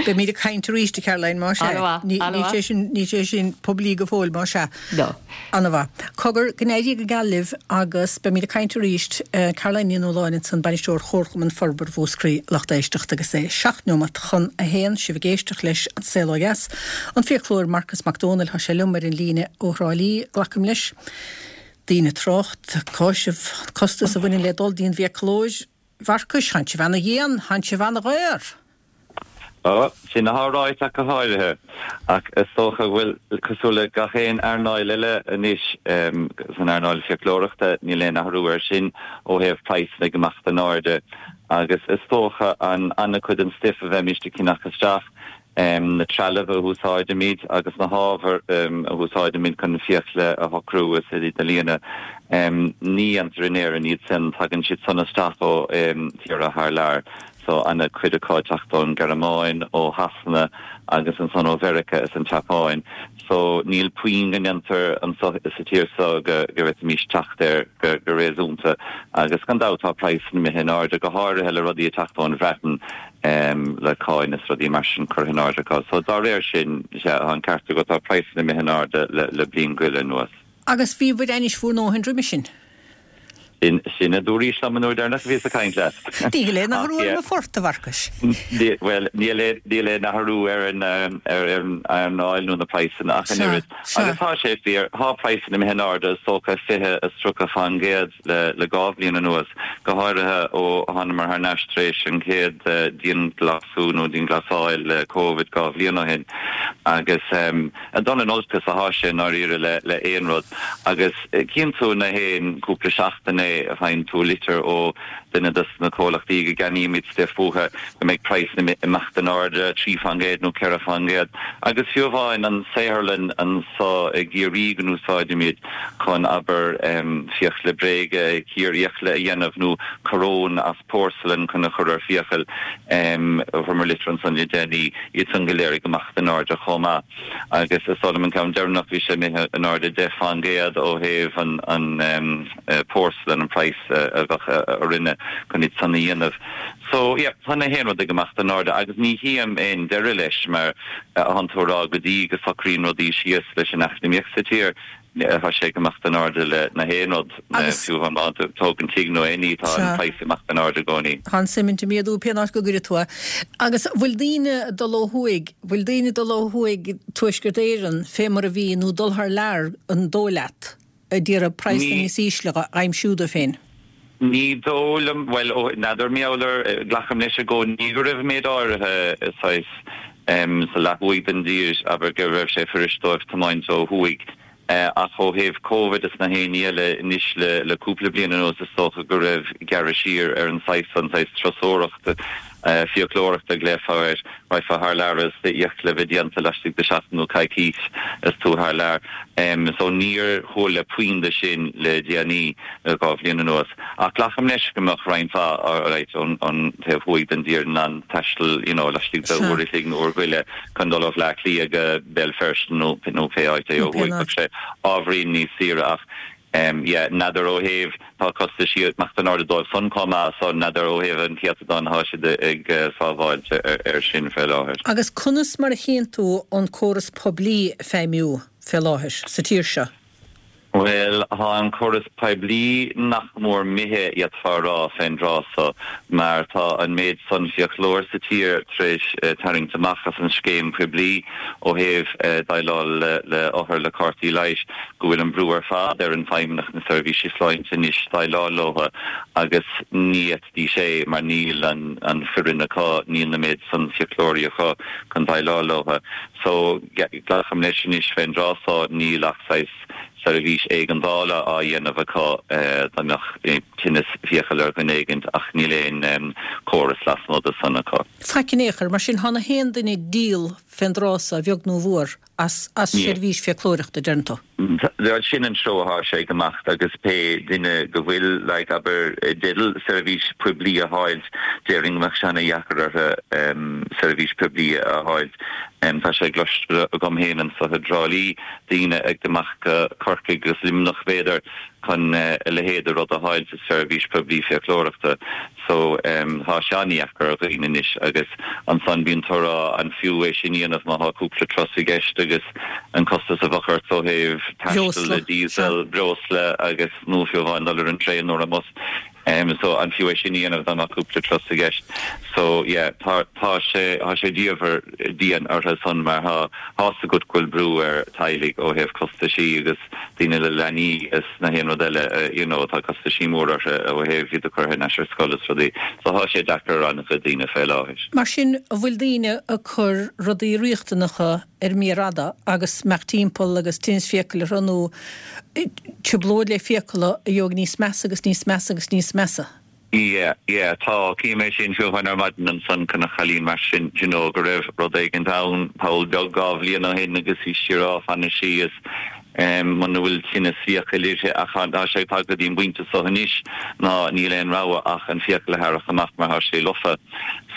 Beimid ag caint arís, a Caroline, más ea. An-mhaith. Ní An-mhaith. sé sin, níl sé sin poiblí go fóill, más ea. No. An-mhaith. Cogar, go n-éirí go geal libh agus beimid ag caint arís. Caroline Ní Nualláin ansan, Bainisteoir Chomharchumann Forbartha Mhúscraí, lucht éisteachta agus é seacht neomat chun a haon, sibh ag éisteacht leis An Saol Ó Dheas. An fiaclóir Marcus Mac Dónaill, tá sé liom ar an líne ó Thrá Lí, glacaim leis. Daoine ag trácht, cáiseamh, an costas a bhaineann le dul dtí an bhfiaclóir. Mharcais, thánn sibh ana-dhian, thánn sibh ana-dhaor! Ó, sin athá ráite ach go háirithe. Ach is dócha go bhfuil, cosúil le gach aon earnáil eile anois, san earnáil fiaclóireachta, níl aon athrú air sin ó thaobh praghsanna ag imeacht in airde. Agus is dócha an an-chuid den stuif a bheimíst ag ceannach isteach, na trealamh a húsáidimid agus na hábhair a húsáidimid chun na fiacla a shocrú is iad a líonadh, ní dhéantar in Éirinn iad san, tagann siad san isteach ó thíortha thar lear. So ana-chuid acu ag teacht ón Ghearmáin, ó Shasana agus ansan ó Mheiriceá is an tSeapáin. So níl puinn go ndéantar anso sa tír so go bhféadfaimis teacht air go réasúnta. Agus gan dabht tá praghsanna imithe in airde, go háirithe le rudaí ag teacht ón Bhreatain. le cáin is rudaí mar sin curtha in airde acu. So dá réir sin, sea, tá an ceart agat, tá praghsanna imithe in airde le bliain go leith anuas. Agus bhíobhair ainnis bhur ndóthain roimhe sin? Sin a dúraís liom an uair deireanach a bhíos ag caint leat. Níl aon athrú ar mo phort, a Mharcais. Bhuel, níl aon athrú ar an earnáil nó na praghsanna ach an oiread. Agus tá sé fíor, tá praghsanna imithe in airde, is dócha 20 is 30 fán gcéad le dhá bhliain anuas, go háirithe ó thánamar thar n-ais tar éis an chéad dianghlasú nó dianghlasáil le Covid dhá bhliain ó shin. Agus ag dul in olcas atá sé i ndáiríre le aon rud. Agus Cíonn tú na haon cúpla seachtain é, faigheann tú litir ó duine dos na comhlachtaí go gceannaímid stuif uathu go mbeidh praghsanna imeacht in airde 3% nó 4%. Agus fiú amháin an saotharlann anso i gCiarraí go n-úsáidimid chun, abair, fiacla bréige, cíor fhiacla a dhéanamh nó coróin as porcelain chun a chur ar fiacail, fuaireamar litir ansan le déanaí, iad san go léir ag imeacht in airde chomh maith. Agus is dóigh liom an ceann deireanach, bhí sé imithe in airde 10% ó thaobh an porcelain, an praghas a bheadh orainne chun iad san a dhéanamh. So, yeah, tá na haon rud ag imeacht in airde agus ní chím aon deireadh leis mar atánn tú a rá go dtí go socraíonn rudaí síos leis an eacnamaíocht sa tír. Tá sé ag imeacht in airde le na haon rud, fiú amháin má tá tú ag tógaint tigh nó aon ní, tá an praghas ag imeacht in airde i gcónaí. Tá an suimint ag méadú pé áit go gcuirfidh tú é. Agus bhfuil daoine ag dul ó thuaidh, bhfuil daoine ag dul ó thuaidh Tuaisceart Éireann fé mar a bhí nó dul thar lear an dóigh leat, ag iarraidh praghsanna níos ísle a aimsiú dóibh féin? Ní dóigh liom, bhuel, ó, n'fheadar, mar gheall ar, glacaim leis i gcónaí go raibh méid áirithe, saghas, sa leath thuaidh den dtír, abair, go raibh sé fuirist dóibh tiomáint ó thuaidh. Ach ó thaobh Covid is na haon ní eile anois le, le cúpla bliain anuas is dócha go raibh gearradh siar ar an saghas, an saghas turasóireachta, fiaclóireachta a ghlaofá air, raghfá thar lear is d'fhiacla a bheith déanta laistigh de seachtain nó coicís is tú thar lear. So níor chuala puinn de sin le déanaí, le dhá bhliain anuas. Ach glacaim leis go mbeadh roinnt mhaith, alright, ón taobh thuaidh den dtír in ann taisteal, you know, laistigh de uair a chloig nó uair go leith chun dul ó Bhleá Cliath go Béal Feirste nó nó pé áit é ó thuaidh. Bheadh sé ábhairín níos saoire ach yeah, n'fheadar ó thaobh, tá costaisí ag imeacht in airde dóibh san chomh maith so n'fheadar ó thaobh an céatadán atá siad ag sábháilt ar sin fé láthair. Agus conas mar a chíonn tú an córas poiblí ag feidhmiú fé láthair sa tír seo? Bhuel, tá an córas poiblí nach mór imithe, d'fhéadfá a rá, fén dtráth so, mar tá an méid san fiaclóir sa tír tar éis tarraingt amach as an scéim poiblí ó thaobh déileáil le othair le cártaí leighis, go bhfuil an brú ar fad ar an Feidhmeannacht na Seirbhíse Sláinte anois déileáil leo agus ní fhéadfaidís é mar níl an foireann acu, níl na méid san fiaclóirí acu chun déileáil leo. So, glacaim leis anois fén dtráth so níl ach saghas seirbhís éigeandála á dhéanamh acu dá mbeadh tinneas fiacal ar dhuine éigint ach níl aon córas lasmuigh de san acu. Faic in aon chor, mar sin tá na haon duine ag díol fén dtráth so, a bheag nó a mhór. as seirbhís fiaclóireachta, deireann tú. Bhuel, sin an treo atá sé ag imeacht agus pé duine go bhfuil, like, abair, i dteideal seirbhís poiblí a fháilt, déarfainn go mbeadh sé ana-dheacair orthu seirbhís poiblí a fháilt. Tá sé cloiste agam féin anso i dTrá Lí, daoine ag imeacht go Corcaigh agus Luimneach, b'fhéidir, chun a leithéid de rud a fháilt sa seirbhís poiblí fiaclóireachta. So, tá sé an-dheacair ar dhaoine anois agus ansan bíonn tú ag rá an fiú é sin a dhéanamh má tá cúpla turas i gceist agus an costas a bheadh ort ó thaobh taistil le diesel, breosla agus nó fiú amháin dul ar an traein nó ar an mbus. So, an fiú é sin a dhéanamh dá mbeadh cúpla turas i gceist. So, yeah, tá, tá sé, tá sé diamhair dian orthu san mar tá, tá's agat go bhfuil brú ar teaghlaigh ó thaobh costaisí agus daoine le leanaí is na haon rud eile you know tá costaisí mór orthu ó thaobh iad a chur thar n-ais ar scoil is rudaí. So tá sé deacair ar an-chuid daoine fé láthair. Mar sin, an bhfuil daoine ag cur rudaí riachtanacha ar mhír fhada agus imeacht timpeall agus tinneas fiacail orthu nó trioblóid le fiacla a gheobhaidh níos measa agus níos measa agus níos measa? Yeah, yeah, tá, cím é sin, fiú amháin ar maidin ansan, chonac cailín mar sin, d'you know, go raibh rud éigint ann, poll beag dhá bhliain ó shin agus bhí sí ag rá fanfaidh sí is em muna bhfuil tinneas fiacail uirthi ach tá sé tagtha go dtí an bpointe so anois ná níl aon rogha ach an fiacail a tharrac amach mar tá sé lofa.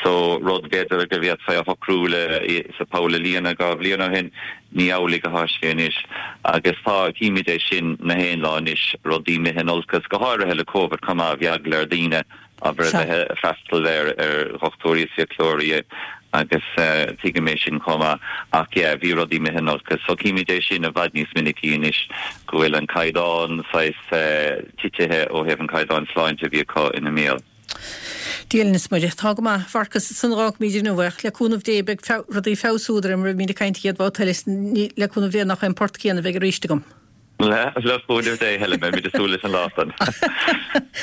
So rud b'fhéidir go bhféadfaí a shocrú le sa poll a líonadh dhá bhliain ó shin, Ní amhlaidh atá sé anois agus tá, címid é sin na haon lá anois, rudaí imithe in olcas, go háirithe le Covid chomh maith, bhí eagla ar daoine, abair, a bheith ag freastal ar ar dhochtúirí is fiaclóirí. Agus tuigim é sin chomh maith. Ach yeah, bhí rudaí imithe in olcas. So címid é sin i bhfad níos minicí anois, go bhfuil an caighdeán saghas titithe ó thaobh an caighdeán sláinte a bhí acu ina mbéal. Dia linn is Muire. Tá go maith, a Mharcas, ansan a dh'fhágfaimid inniu é. Ach le cúnamh Dé beidh rudaí ag feabhsú, de réir mar a bhímid ag caint an chéad bhabhta eile, is le cúnamh Dé nach é an port céanna a bheidh arís agam. Le cúnamh Dé, Helen, beimid ag súil leis an lá san.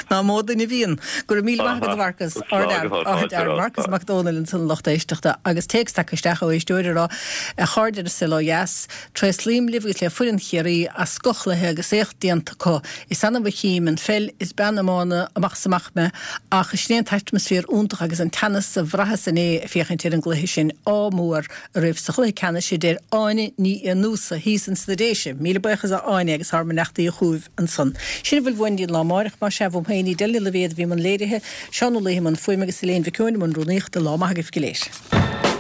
Ná mó duine a bhíonn. Go raibh míle maith agat, a Mharcas. Ardfhear. Marcas Mac Dónaill ansan a lucht éisteachta. Agus téacs tagtha isteach ó éisteoir ag rá, A chairde ar an Saol Ó Dheas, tréaslaím libh agus le foireann Chiarraí as scothchluiche agus éacht déanta acu. Is annamh a chím an pheil, is bean iomána amach is amach mé, ach sin é an t-atmaisféar iontach agus an teannas a bhraitheas inné ag féachaint ar an gcluiche sin. Ádh mór oraibh sa chluiche ceannais a deir Áine Ní Fhiannúsa thíos ins na Déise. Míle buíochas a Áine agus ár mbeannachtaí chugaibh ansan. Sin a bhfuil uainn go dtí an lá amáireach, más ea, uaim féin, Edel Ní Loibhéad a bhí i mbun léirithe, Seán Ó Laoithe i mbun fuaime agus Elaine Mhic Eoin i mbun rúnaíochta. Lá maith agaibh go léir.